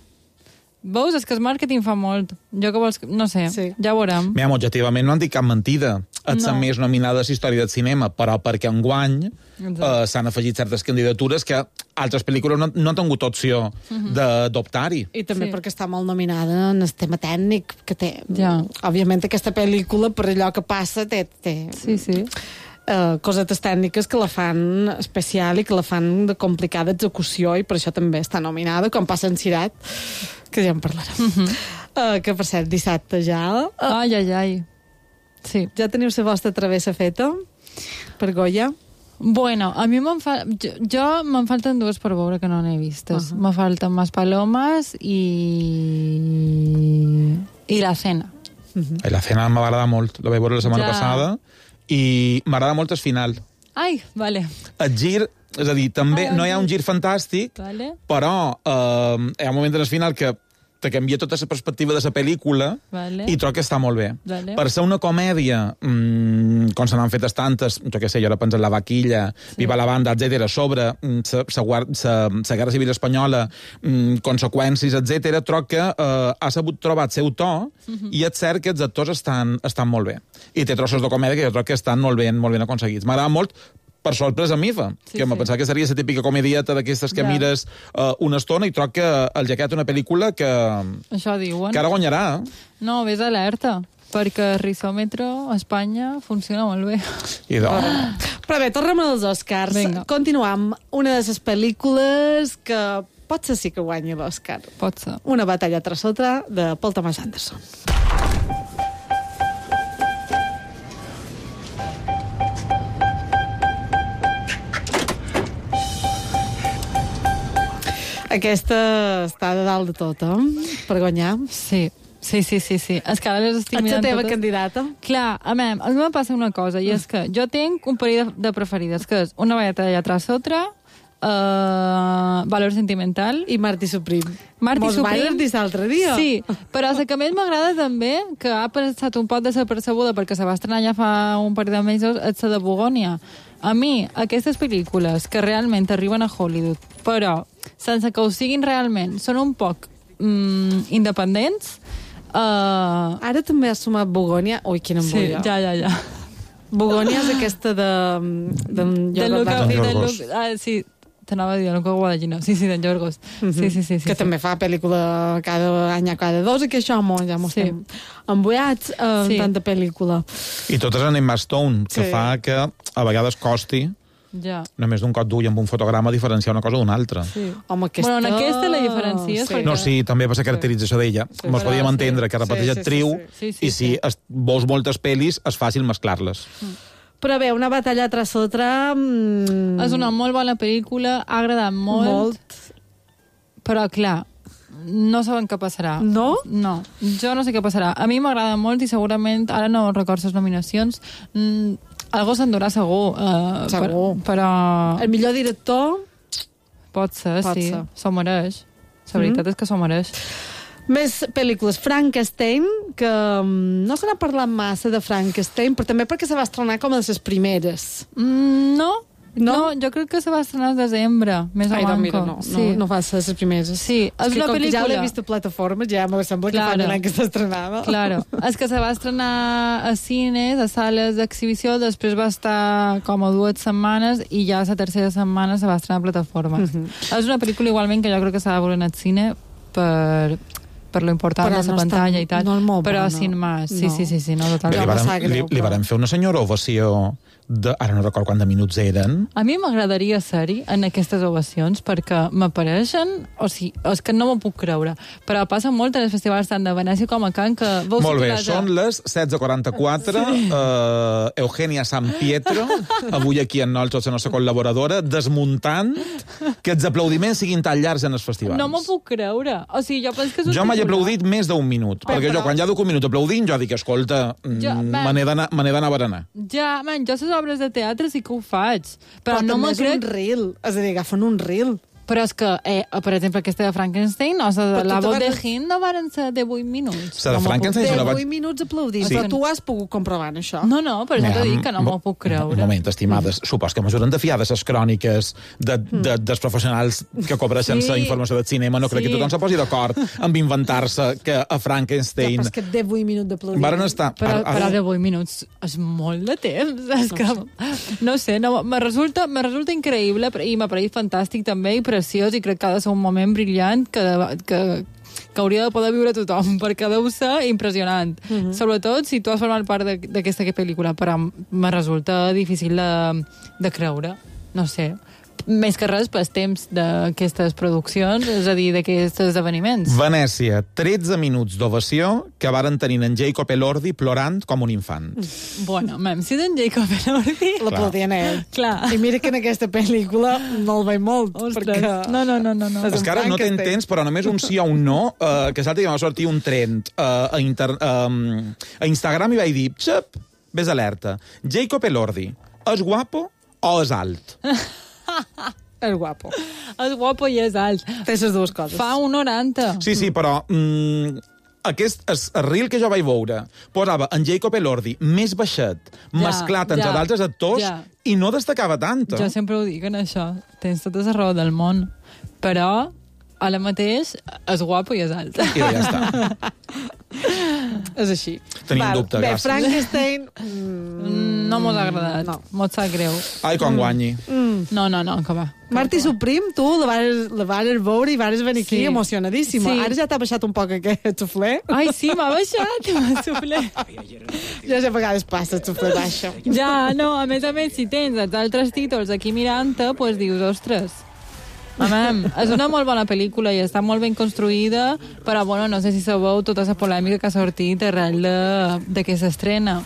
Veus? És que el màrqueting fa molt. Jo que vols... No sé, sí. Ja ho veurem. Mira, objectivament no han dit cap mentida. És la No. més nominada a la història del cinema, però perquè enguany Exacte. eh, s'han afegit certes candidatures que altres pel·lícules no, no han tingut opció Mhm. d'adoptar-hi. I també Sí. sí. perquè està molt nominada en el tema tècnic que té. Ja. Òbviament aquesta pel·lícula, per allò que passa, té, té Sí, sí. uh, cosetes tècniques que la fan especial i que la fan de complicada execució i per això també està nominada, com passa en Cirat, que ja en parlarem. Uh -huh. uh, que, per cert, dissabte ja... Uh, Ai, ai, ai. Sí. Ja teniu la vostra travessa feta per Goya? Bueno, a mi me'n fa... Jo, jo me'n falten dues per veure que no n'he vistes. Uh -huh. Me falten Mas Palomas i... i La Cena. Uh -huh. La cena m'agrada molt, la vaig veure la setmana Ja. passada, i m'agrada molt el final. Ai, vale. El gir, és a dir, també Ah, no hi ha sí. un gir fantàstic, Vale. però eh, hi ha un moment en el final que te canvia tota la perspectiva de la pel·lícula Vale. i trobo que està molt bé. Vale. Per ser una comèdia, mmm, com se n'han fetes tantes, jo què sé, jo ara penso en La Vaquilla, sí. Viva la Banda, etcètera, sobre la Guerra Civil Espanyola, mm, conseqüències, etcètera, trobo que eh, ha sabut trobar el seu to, uh -huh. i és cert que els actors estan, estan molt bé. I té trossos de comèdia que jo trobo que estan molt ben, molt ben aconseguits. M'agrada molt per sorpresa mifa, Sí, que em sí. pensava que seria la típica comedieta d'aquestes que Ja. mires uh, una estona, i trobo que el Jaquet una pel·lícula que, Això diuen. que ara guanyarà. Eh? No, vés alerta, perquè el risòmetre a Espanya funciona molt bé. I de... Però bé, tornem als Oscars. Vinga. Continuam. Una de les pel·lícules que potser sí que guanyi l'Oscar. Pot ser. Una batalla tras otra, de Paul Thomas Anderson. Aquesta està de dalt de tot, eh? Per guanyar. Sí. Sí, sí, sí, sí. És que ara les estic Ets la mirant teva totes. candidata? Clar, a mi, a mi me passa una cosa, i és que jo tinc un parell de, de preferides, que és Una batalla tras otra, uh, Valor sentimental... I Marty Supreme. Marty Mos Supreme. vas dir l'altre dia. Sí, però la que més m'agrada també, que ha passat un poc desapercebuda perquè se va estrenar ja fa un parell de mesos, és la de Bogònia. A mi, aquestes pel·lícules que realment arriben a Hollywood, però sense que ho siguin realment, són un poc mm, independents. Uh... Ara també has sumat Bogònia. Ui, quina Sí, embolla. ja, ja, ja. Bogònia és aquesta de... de, De Luca, D'en de Yorgos. Luca, ah, sí, t'anava a dir, Luca Guadagnino. Sí, sí, d'en Yorgos. Mhm. Sí, sí, sí. sí que sí. també fa pel·lícula cada any a cada dos, i que això mo, ja mos Sí. estem emboiats amb Sí. tanta pel·lícula. I totes en Emma Stone, que Sí. fa que a vegades costi, Ja. només d'un cop d'ull amb un fotograma, diferenciar una cosa d'una altra. Sí. Home, aquesta... Bueno, en aquesta la diferencies Sí. perquè... No, sí, també per la caracterització d'ella. Sí, Mos però podíem sí. entendre que repeteix Sí, sí, actriu, sí, sí. Sí, sí, i si sí. es, veus moltes pel·lis, és fàcil mesclar-les. Però bé, Una batalla tras otra... Mm, És una molt bona pel·lícula, ha agradat molt, Molt. però clar, no sabem què passarà. No? No, jo no sé què passarà. A mi m'agrada molt i segurament, ara no recordo les nominacions, mm, algú s'endurà segur. Uh, Segur. Per, però... El millor director... Pot ser, Pot sí. ser. S'ho mereix. La veritat Mhm. és que s'ho mereix. Més pel·lícules. Frankenstein, que mm, no se n'ha parlat massa de Frankenstein, però també perquè se va estrenar com a de les primeres. Mm, no, no, no, jo crec que se va estrenar al desembre, més o Ai, doncs manco. mira, no, sí. no, no va ser les primeres. Sí, és, és que una com pel·lícula... que ja l'he vist a plataformes, ja me sembla que Claro. fa un any que s'estrenava. Claro, és que se va estrenar a cines, a sales d'exhibició, després va estar com a dues setmanes i ja la tercera setmana se va estrenar a plataformes. Mhm. És una pel·lícula igualment que jo crec que s'ha de veure en el cine per, per lo important Però de la no està- pantalla i tal, no és molt però bona. sin más. Sí, No. sí, sí, sí, no, Bé, totalment. li, varen, li, li varen fer una senyora ovació de... Ara no recordo quant de minuts eren. A mi m'agradaria ser-hi en aquestes ovacions perquè m'apareixen, o sigui, és que no m'ho puc creure, però passa molt en els festivals tant de Venècia com a Cannes que veus Molt bé, situats a- són les setze quaranta-quatre, sí. uh, Eugenia San Pietro, avui aquí en Nolxos, la nostra col·laboradora, desmuntant que els aplaudiments siguin tan llargs en els festivals. No m'ho puc creure. O sigui, jo penso que és un Jo mai he titular. aplaudit més d'un minut, Però, perquè però- jo quan ja duc un minut aplaudint, jo dic, escolta, Jo, jo, ben- me n'he d'anar me n'he d'anar a berenar. Ja, man, jo les obres de teatre sí que ho faig, però, Però no també me és crec... un reel, és a dir, agafen un reel. Però és que, eh, per exemple, aquesta de Frankenstein, o sigui, Però la tu voz te de vas- Hind no varen ser de vuit minuts. La de No m'ho Frankenstein puc jo la creure. vaig- vuit minuts aplaudint, Sí. però tu has pogut comprovar això. No, no, però ja t'ho dic que no m'ho puc Un creure. moment, estimades, supos que mesuren de fiades les cròniques de, de, dels professionals que cobreixen Sí. la informació del cinema. No crec Sí. que tothom se posi d'acord amb inventar-se que a Frankenstein... Ja, però és que de vuit minuts d'aplaudir. Varen estar... Però, ara- però de vuit minuts és molt de temps. És que, no sé, no, me, resulta, me resulta increïble però- i m'ha pareixit fantàstic també i preciós i crec que ha de ser un moment brillant que, que, que hauria de poder viure tothom perquè deu ser impressionant. Mhm. Sobretot si tu has format part de- d'aquesta pel·lícula, però me resulta difícil de, de creure. No sé. Més que res pels temps d'aquestes produccions, és a dir, d'aquests esdeveniments. Venècia, tretze minuts d'ovació que varen tenir en Jacob Elordi plorant com un infant. Bueno, mem, si d'en Jacob Elordi... L'aplaudien a ell. Clar. I mira que en aquesta pel·lícula no el veig molt, Ostres. perquè... No, no, no, no. no. És que ara no t'entens, però només un sí o un no, uh, que l'altre dia va sortir un trend uh, a, inter, um, a Instagram i vaig dir, xep, ves alerta, Jacob Elordi, és guapo o és alt? És guapo. És guapo i és alt. Té les dues coses. Fa un noranta. Sí, sí, però... Mm, aquest es, el reel que jo vaig veure posava en Jacob Elordi més baixet, Ja, mesclat entre ja, d'altres actors, ja. i no destacava tant. Jo sempre ho dic en això. Tens tota la raó del món. Però, ara mateix, és guapo i és alt. I ja està. És així. Tenim Val, dubte, bé, gràcies. Frankenstein... Mm, no m'ho ha agradat. No. M'ho sap greu. Ai, quan guanyi. Mm. No, no, no, que va. Martí Suprim, tu la vares, la vares veure i vares venir aquí Sí. emocionadíssima. Sí. Ara ja t'ha baixat un poc aquest xufler. Ai, sí, m'ha baixat, m'ha suflé. Ja a vegades passa el xufler baixa. Ja, no, a més a més, si tens els altres títols aquí mirant-te, doncs pues dius, ostres, Amam, és una molt bona pel·lícula i està molt ben construïda, però bueno, no sé si sabeu tota la polèmica que ha sortit arrel de, de que s'estrena.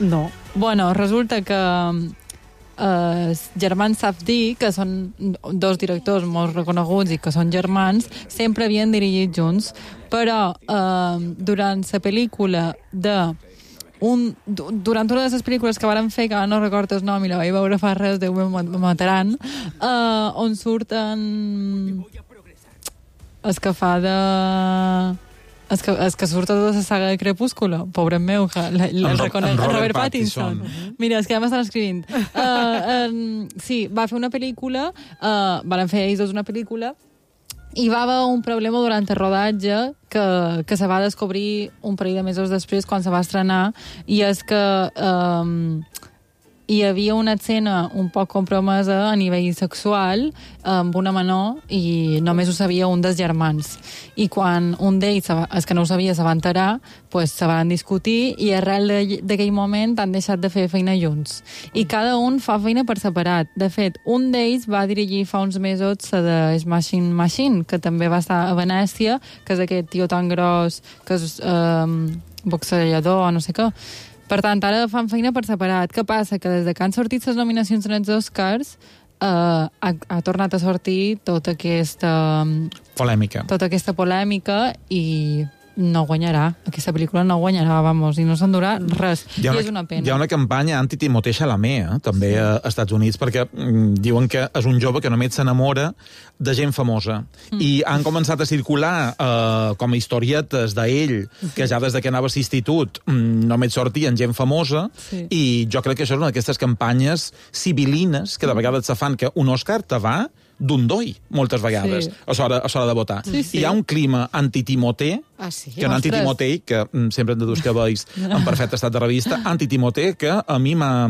No. Bueno, resulta que eh, els germans Safdie, que són dos directors molt reconeguts i que són germans, sempre havien dirigit junts, però eh, durant la pel·lícula de un, durant una de les pel·lícules que varen fer, que ara no recordo el nom i la vaig veure fa res, Déu me mataran, uh, on surten el que fa de... El que, el que surt a tota la saga de Crepúsculo, pobre meu, el, el, el, reconec, el Robert Pattinson. Pattinson. Mira, és que ja m'estan escrivint. Uh, um, sí, va fer una pel·lícula, uh, van fer ells dos una pel·lícula, i va haver un problema durant el rodatge que, que se va descobrir un parell de mesos després quan se va estrenar, i és que um, hi havia una escena un poc compromesa a nivell sexual amb una menor i només ho sabia un dels germans. I quan un d'ells, els que no ho sabia, se va enterar, pues, se van discutir i arrel d'aquell moment han deixat de fer feina junts. I cada un fa feina per separat. De fet, un d'ells va dirigir fa uns mesos la de Smashing Machine, que també va estar a Venècia, que és aquest tio tan gros, que és um, boxejador o no sé què. Per tant, ara fan feina per separat. Què passa? Que des de que han sortit les nominacions en els Oscars, uh, ha, ha tornat a sortir tota aquesta... Polèmica. Tota aquesta polèmica i no guanyarà. Aquesta pel·lícula no guanyarà, vamos, i no s'endurà res. I una, és una pena. Hi ha una campanya anti-Timothée Chalamet, eh, també sí. als Estats Units, perquè mm, diuen que és un jove que només s'enamora de gent famosa. Mm. I han començat a circular eh, com a historietes d'ell, que ja des de que anava a l'institut mm, només sortien gent famosa, sí. I jo crec que això és una d'aquestes campanyes civilines que de vegades se fan, que un Òscar te va d'un doi, moltes vegades, sí. a l'hora de votar. Sí, sí. Hi ha un clima anti-Timothée, ah, sí? que un anti-Timothée, que mm, sempre hem de dos cabells en perfecte estat de revista, anti-Timothée, que a mi m'ha...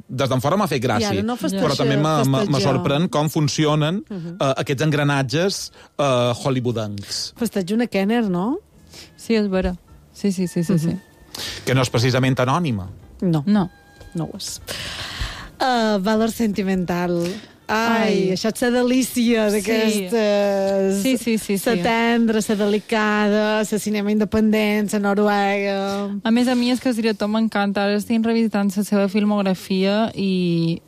des d'en fora m'ha fet gràcia, no però també me sorprèn com funcionen uh -huh. uh, aquests engranatges uh, hollywoodencs. Festeig una Kenner, no? Sí, és vera. Sí, sí, sí, sí, uh -huh. sí. Que no és precisament anònima. No. No. No ho és. Uh, valor sentimental... Ai, Ai, això és la delícia d'aquestes... Sí, sí, sí. La sí. tendra, la delicada, la cinema independent, la Noruega... A més, a mi és que el director m'encanta. Ara estic revisitant la seva filmografia i...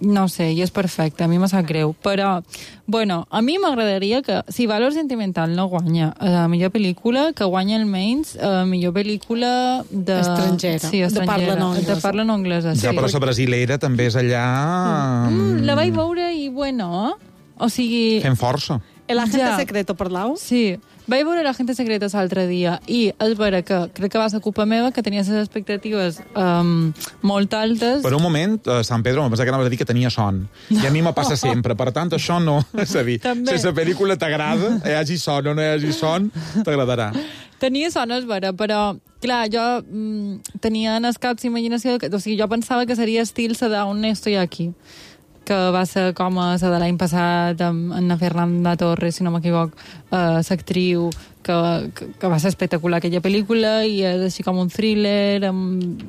No sé, i és perfecte, a mi m'ha sap greu. Però, bueno, a mi m'agradaria que, si Valor Sentimental no guanya la millor pel·lícula, que guanya almenys la millor pel·lícula de... Estrangera. Sí, estrangera. De parla no anglesa. De parla no anglesa, sí. Ja, però la brasilera també és allà... Mm, la vaig veure i, bueno... O sigui... Fent força. El agente ja. secreto, parlau? Sí. Vaig veure l'agente secreto l'altre dia i és vera que crec que va ser culpa meva, que tenia les expectatives um, molt altes. Per un moment, a Sant Pedro, em pensava que anava a dir que tenia son. I a mi me passa sempre. Per tant, això no... És a dir, també. Si la pel·lícula t'agrada, hi hagi son o no hi hagi son, t'agradarà. Tenia son, és vera, però, clar, jo mm, tenia en els caps imaginació... Que, o sigui, jo pensava que seria estil la d'Aún estoy aquí, que va ser com a la de l'any passat amb Anna Fernanda Torres, si no m'equivoc, uh, l'actriu, que, que, que va ser espectacular aquella pel·lícula, i és així com un thriller amb,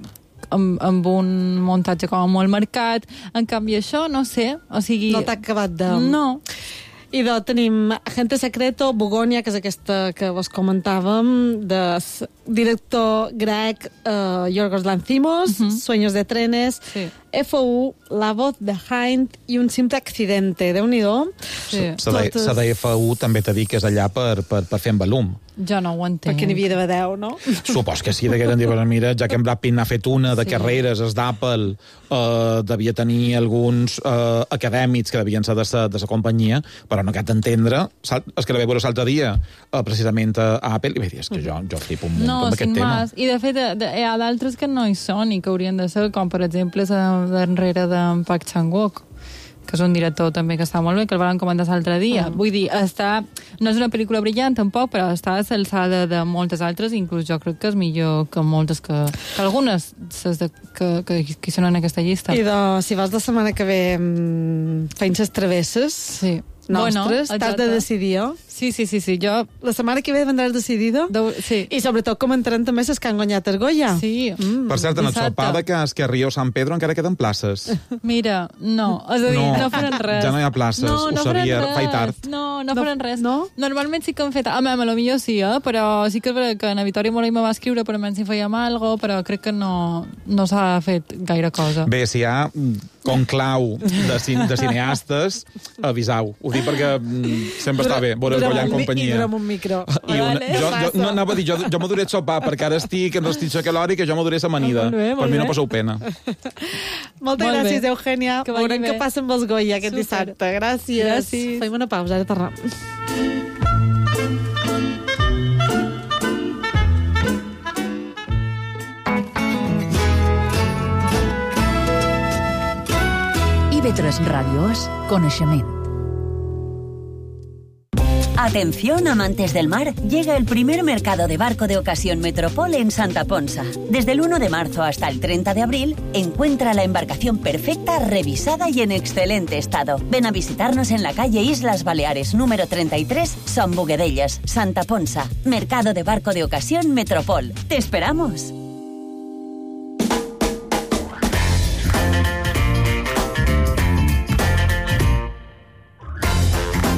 amb, amb un muntatge com molt marcat. En canvi, això, no sé, o sigui... No t'ha acabat de... No. I doncs tenim Agente Secreto, Bogònia, que és aquesta que vos comentàvem, de director grec uh, Yorgos Lanthimos, uh -huh. Sueños de trenes, sí. F U, La voz de Hind i Un simple accidente. Déu-n'hi-do. Sí. La de F U també t'ha dit que és allà per, per, per fer en volum. Jo no ho entenc. Perquè n'hi havia d'haver deu, no? Supos que sí, que eren dir, mira, ja que en Brad Pitt n'ha fet una de sí. carreres, es d'Apple, uh, devia tenir alguns uh, acadèmics que devien ser de sa, de sa companyia, però no cal entendre, és que la vaig veure l'altre dia, uh, precisament a, a Apple, i vaig dir, és que jo, jo flipo un munt no, amb aquest tema. I de fet, de, de, hi ha d'altres que no hi són i que haurien de ser, com per exemple la darrere d'en Park Chan-wook, que és un director també que està molt bé, que el van comentar l'altre dia. Mm. Vull dir, està, no és una pel·lícula brillant tampoc, però està a l'alçada de moltes altres, inclús jo crec que és millor que moltes que... que algunes de, que, que, que hi són en aquesta llista. I de, si vas la setmana que ve mmm, fent les travesses... Sí. Nostres, bueno, t'has de decidir, oh? Sí, sí, sí, sí, jo... La setmana que ve vendràs decidido? De... Sí. I sobretot comentarem també les que han guanyat el Goya. Sí. Mm. Per cert, en el sopar de Casque Rio San Pedro encara queden places. Mira, no, és a dir, no, no faran res. Ja no hi ha places, no, no ho sabia, faig tard. No, no, no faran res. No? Normalment sí que han fet... A mi, a lo millor sí, eh? Però sí que és veritat que en Vitòria Morell me va escriure, però almenys si fèiem alguna cosa, però crec que no, no s'ha fet gaire cosa. Bé, si hi ha conclau de, cin de cineastes, avisau. Ho dic perquè sempre està bé veure el Goya en companyia. I durem un micro. I una, vale, jo, jo, no anava a dir, jo, jo m'aduré el sopar, perquè ara estic en restricció calòrica, que jo m'aduré l'amanida. Per mi no passeu pena. Moltes molt gràcies, bé. Eugènia. Veurem què passa amb els Goya aquest Super. dissabte. Gràcies. Gràcies. Fem una pausa, ara tornem. I B tres Ràdio és coneixement. Atención, amantes del mar, llega el primer mercado de barco de ocasión Metropol en Santa Ponsa. Desde el uno de marzo hasta el treinta de abril, encuentra la embarcación perfecta, revisada y en excelente estado. Ven a visitarnos en la calle Islas Baleares, número treinta y tres, Son Boguedellas, Santa Ponsa. Mercado de barco de ocasión Metropol. ¡Te esperamos!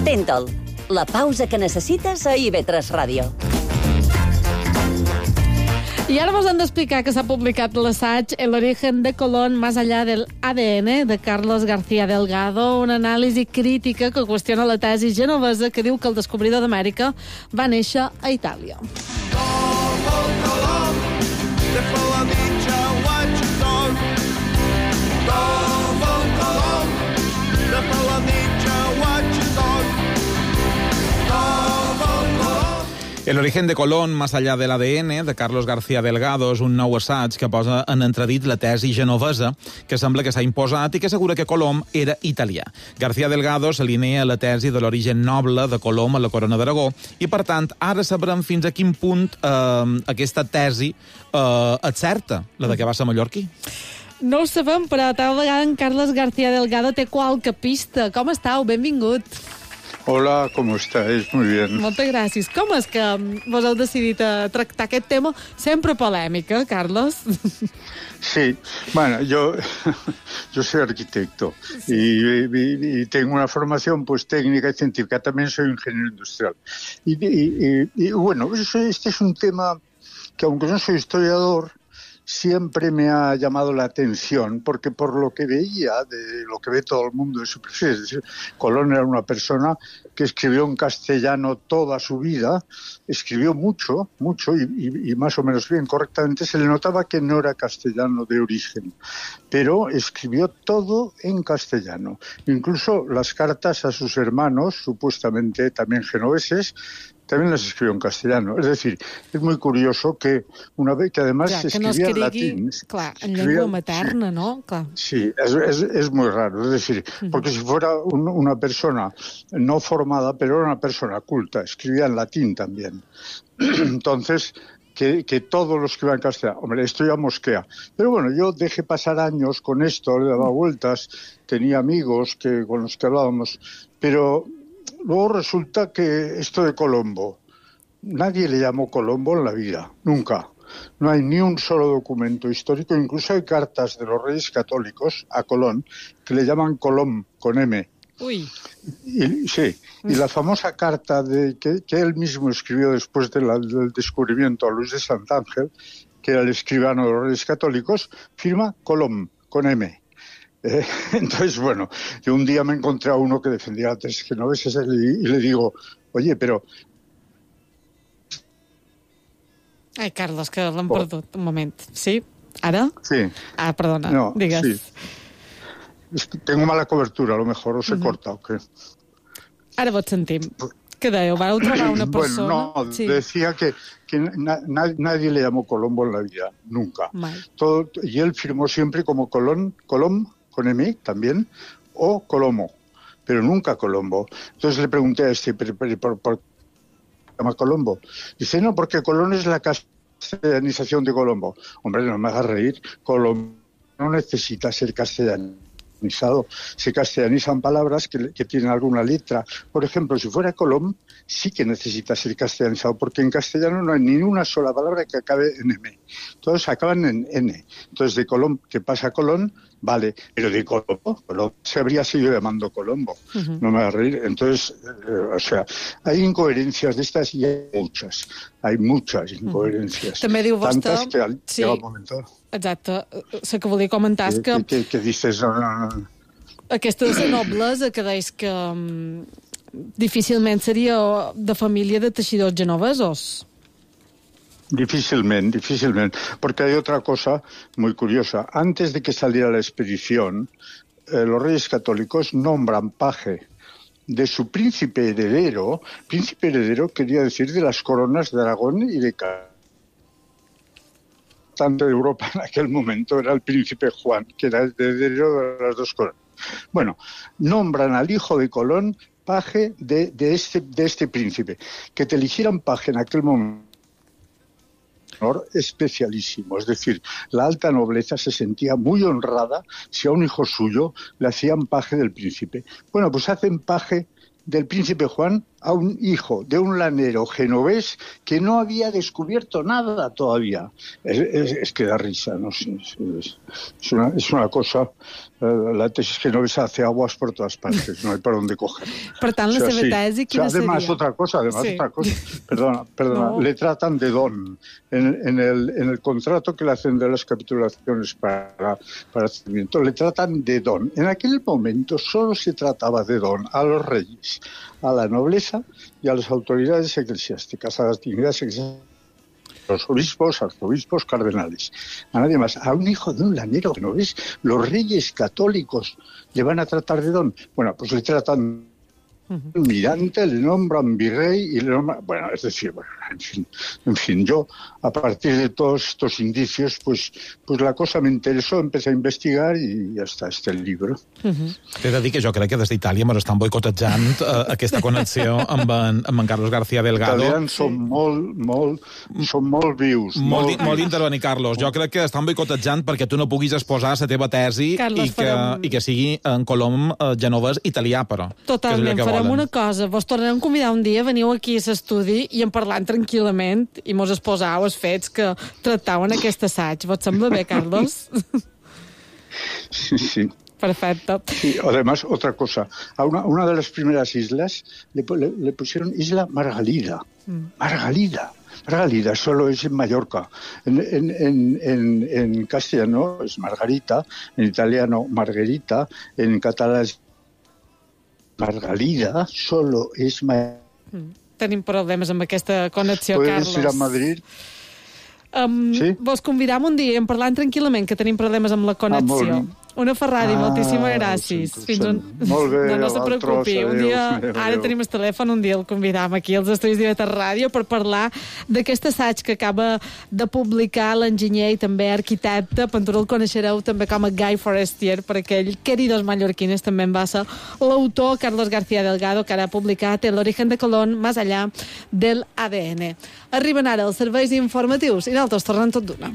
Tentol, la pausa que necessites a I B tres Ràdio. I ara vos hem d'explicar que s'ha publicat l'assaig El origen de Colón más allá del A D N de Carlos García Delgado, una anàlisi crítica que qüestiona la tesi genovesa que diu que el descobridor d'Amèrica va néixer a Itàlia. El origen de Colón, más allá del A D N, de Carlos García Delgado, és un nou assaig que posa en entredit la tesi genovesa que sembla que s'ha imposat i que assegura que Colom era italià. García Delgado s'alinea a la tesi de l'origen noble de Colom a la corona d'Aragó i, per tant, ara sabrem fins a quin punt eh, aquesta tesi eh, és certa, la de que va ser mallorquí. No ho sabem, però tal vegada en Carlos García Delgado té qualque pista. Com estàu? Benvingut. Hola, ¿cómo estáis? Muy bien. Moltes gràcies. Com és que vos heu decidit a tractar aquest tema sempre polèmic, eh, Carlos? Sí, bueno, yo, yo soy arquitecto y, y, y tengo una formación pues técnica y científica. También soy ingeniero industrial. Y, y, y, y bueno, este es un tema que, aunque no soy historiador, siempre me ha llamado la atención, porque por lo que veía, de lo que ve todo el mundo de su perfil, es decir, Colón era una persona que escribió en castellano toda su vida, escribió mucho, mucho, y, y, y más o menos bien, correctamente, se le notaba que no era castellano de origen, pero escribió todo en castellano. Incluso las cartas a sus hermanos, supuestamente también genoveses, también las escribió en castellano. Es decir, es muy curioso que una vez que además ja, que escribía no escrigui, en latín... Clar, en llengua materna, sí, no? Clar. Sí, es, es, es muy raro. Es decir, uh-huh. porque si fuera un, una persona no formada, pero era una persona culta, escribía en latín también. Entonces... Que, que todos los que iban en castellano. Hombre, esto ya mosquea. Pero bueno, yo dejé pasar años con esto, le daba vueltas, tenía amigos que, con los que hablábamos, pero luego resulta que esto de Colombo, nadie le llamó Colombo en la vida, nunca. No hay ni un solo documento histórico, incluso hay cartas de los reyes católicos a Colón que le llaman Colom, con M. Uy. Y, sí, y la famosa carta de, que, que él mismo escribió después de la, del descubrimiento a Luis de Santángel, que era el escribano de los Reyes Católicos, firma Colom, con M. Eh, entonces, bueno, yo un día me encontré a uno que defendía a tres genoveses y, y le digo, oye, pero... Ai, Carlos, que l'hem oh. perdut un moment. Sí? Ara? Sí. Ah, perdona, no, digues. Sí. Es que tengo mala cobertura, a lo mejor, o se uh-huh. corta, ¿o qué? Ara vos sentim. Què dèieu? Vau trobar una persona? Bueno, no, sí. decía que, que na, nadie le llamó Colombo en la vida, nunca. Todo, y él firmó siempre como Colón, Colom, con M también, o Colomo, pero nunca Colombo. Entonces le pregunté a este, ¿por, por, por, por qué se llama Colombo? Dice, no, porque Colón es la castellanización de Colombo. Hombre, no me hagas reír, Colombo no necesita ser castellano. Se castellanizan palabras que, que tienen alguna letra. Por ejemplo, si fuera Colom, sí que necesita ser castellanizado, porque en castellano no hay ni una sola palabra que acabe en M. Todos acaban en N. Entonces, de Colom, que pasa a Colón, vale, pero de Colombo, Colombo se habría seguido llamando Colombo. Uh-huh. No me va a reír. Entonces, eh, o sea, hay incoherencias de estas y hay muchas. Hay muchas incoherencias. Uh-huh. També diu vostè... Tantas que al sí. llega el momento... Exacte. La que volia comentar és que... Que, que dices... No, no, no. Aquestes noblesa que deis que um, difícilment seria de família de teixidors genovesos. Difícilmente, difícilmente. Porque hay otra cosa muy curiosa. Antes de que saliera la expedición, eh, los reyes católicos nombran paje de su príncipe heredero. Príncipe heredero quería decir de las coronas de Aragón y de Castilla. Tanto de Europa en aquel momento era el príncipe Juan, que era el heredero de las dos coronas. Bueno, nombran al hijo de Colón paje de, de, este, de este príncipe. Que te eligieran paje en aquel momento especialísimo, es decir, la alta nobleza se sentía muy honrada si a un hijo suyo le hacían paje del príncipe. Bueno, pues hacen paje del príncipe Juan a un hijo de un lanero genovés que no había descubierto nada todavía. Es, es, es que da risa, no sé. Es, es, una, es una cosa... La tesis genovesa hace aguas por todas partes, no hay por dónde coger. Per tant, la o sea, seva sí. tesi, quina o sea, además, seria? otra cosa, además, Sí. otra cosa. Perdona, perdona. No. Le tratan de don. En, en, el, en el contrato que le hacen de las capitulaciones para, para el le tratan de don. En aquel momento solo se trataba de don a los reyes, a la nobleza y a las autoridades eclesiásticas, a las dignidades eclesiásticas. Los obispos, arzobispos, cardenales. A nadie más. A un hijo de un lanero, ¿no ves? Los reyes católicos le van a tratar de don. Bueno, pues le tratan uh-huh. mirante, le nombran virrey y le nombran... Bueno, es decir, bueno, en fin, en fin, yo a partir de todos estos indicios, pues, pues la cosa me interesó, empecé a investigar i ja està, este el libro. Uh-huh. T'he de dir que jo crec que des d'Itàlia me l'estan boicotejant uh, aquesta connexió amb en, amb en Carlos García Delgado. Els italians són molt, molt, són molt vius. Molt, molt, molt d'intervenir, Carlos. Jo crec que estan boicotejant perquè tu no puguis exposar la teva tesi Carlos, i, que, farem... i que sigui en Colom uh, genovès italià, però. Totalment, farem volen. una cosa. Vos tornarem a convidar un dia, veniu aquí a l'estudi i en parlant tranquil·lament i mos exposau els fets que tractaven aquest assaig. Vos sembla bé, Carlos? Sí, sí. Perfecto. Sí, además, otra cosa. A una, una de las primeras islas le, le, le pusieron Isla Margalida. Mm. Margalida. Margalida solo es en Mallorca. En, en, en, en, en castellano es Margarita, en italiano Margherita, en catalán es Margalida, solo es Mallorca. Mm. Tenim problemes amb aquesta connexió, Puedes Carlos. ir a Madrid. Um, sí? Vos convidam un dia en parlant tranquil·lament, que tenim problemes amb la connexió. Ah, Una Ferrari, ah, moltíssimes gràcies. Fins un... Molt bé, no, no se preocupi. Un dia, adéu, adéu. ara tenim el telèfon, un dia el convidam aquí als estudis d'I V tres Ràdio per parlar d'aquest assaig que acaba de publicar l'enginyer i també arquitecte. Pentura el coneixereu també com a Guy Forestier, per aquell Queridos Mallorquines també en va ser l'autor Carlos García Delgado, que ara ha publicat El origen de Colón, más allá del A D N. Arriben ara els serveis informatius i nosaltres tornem tot d'una.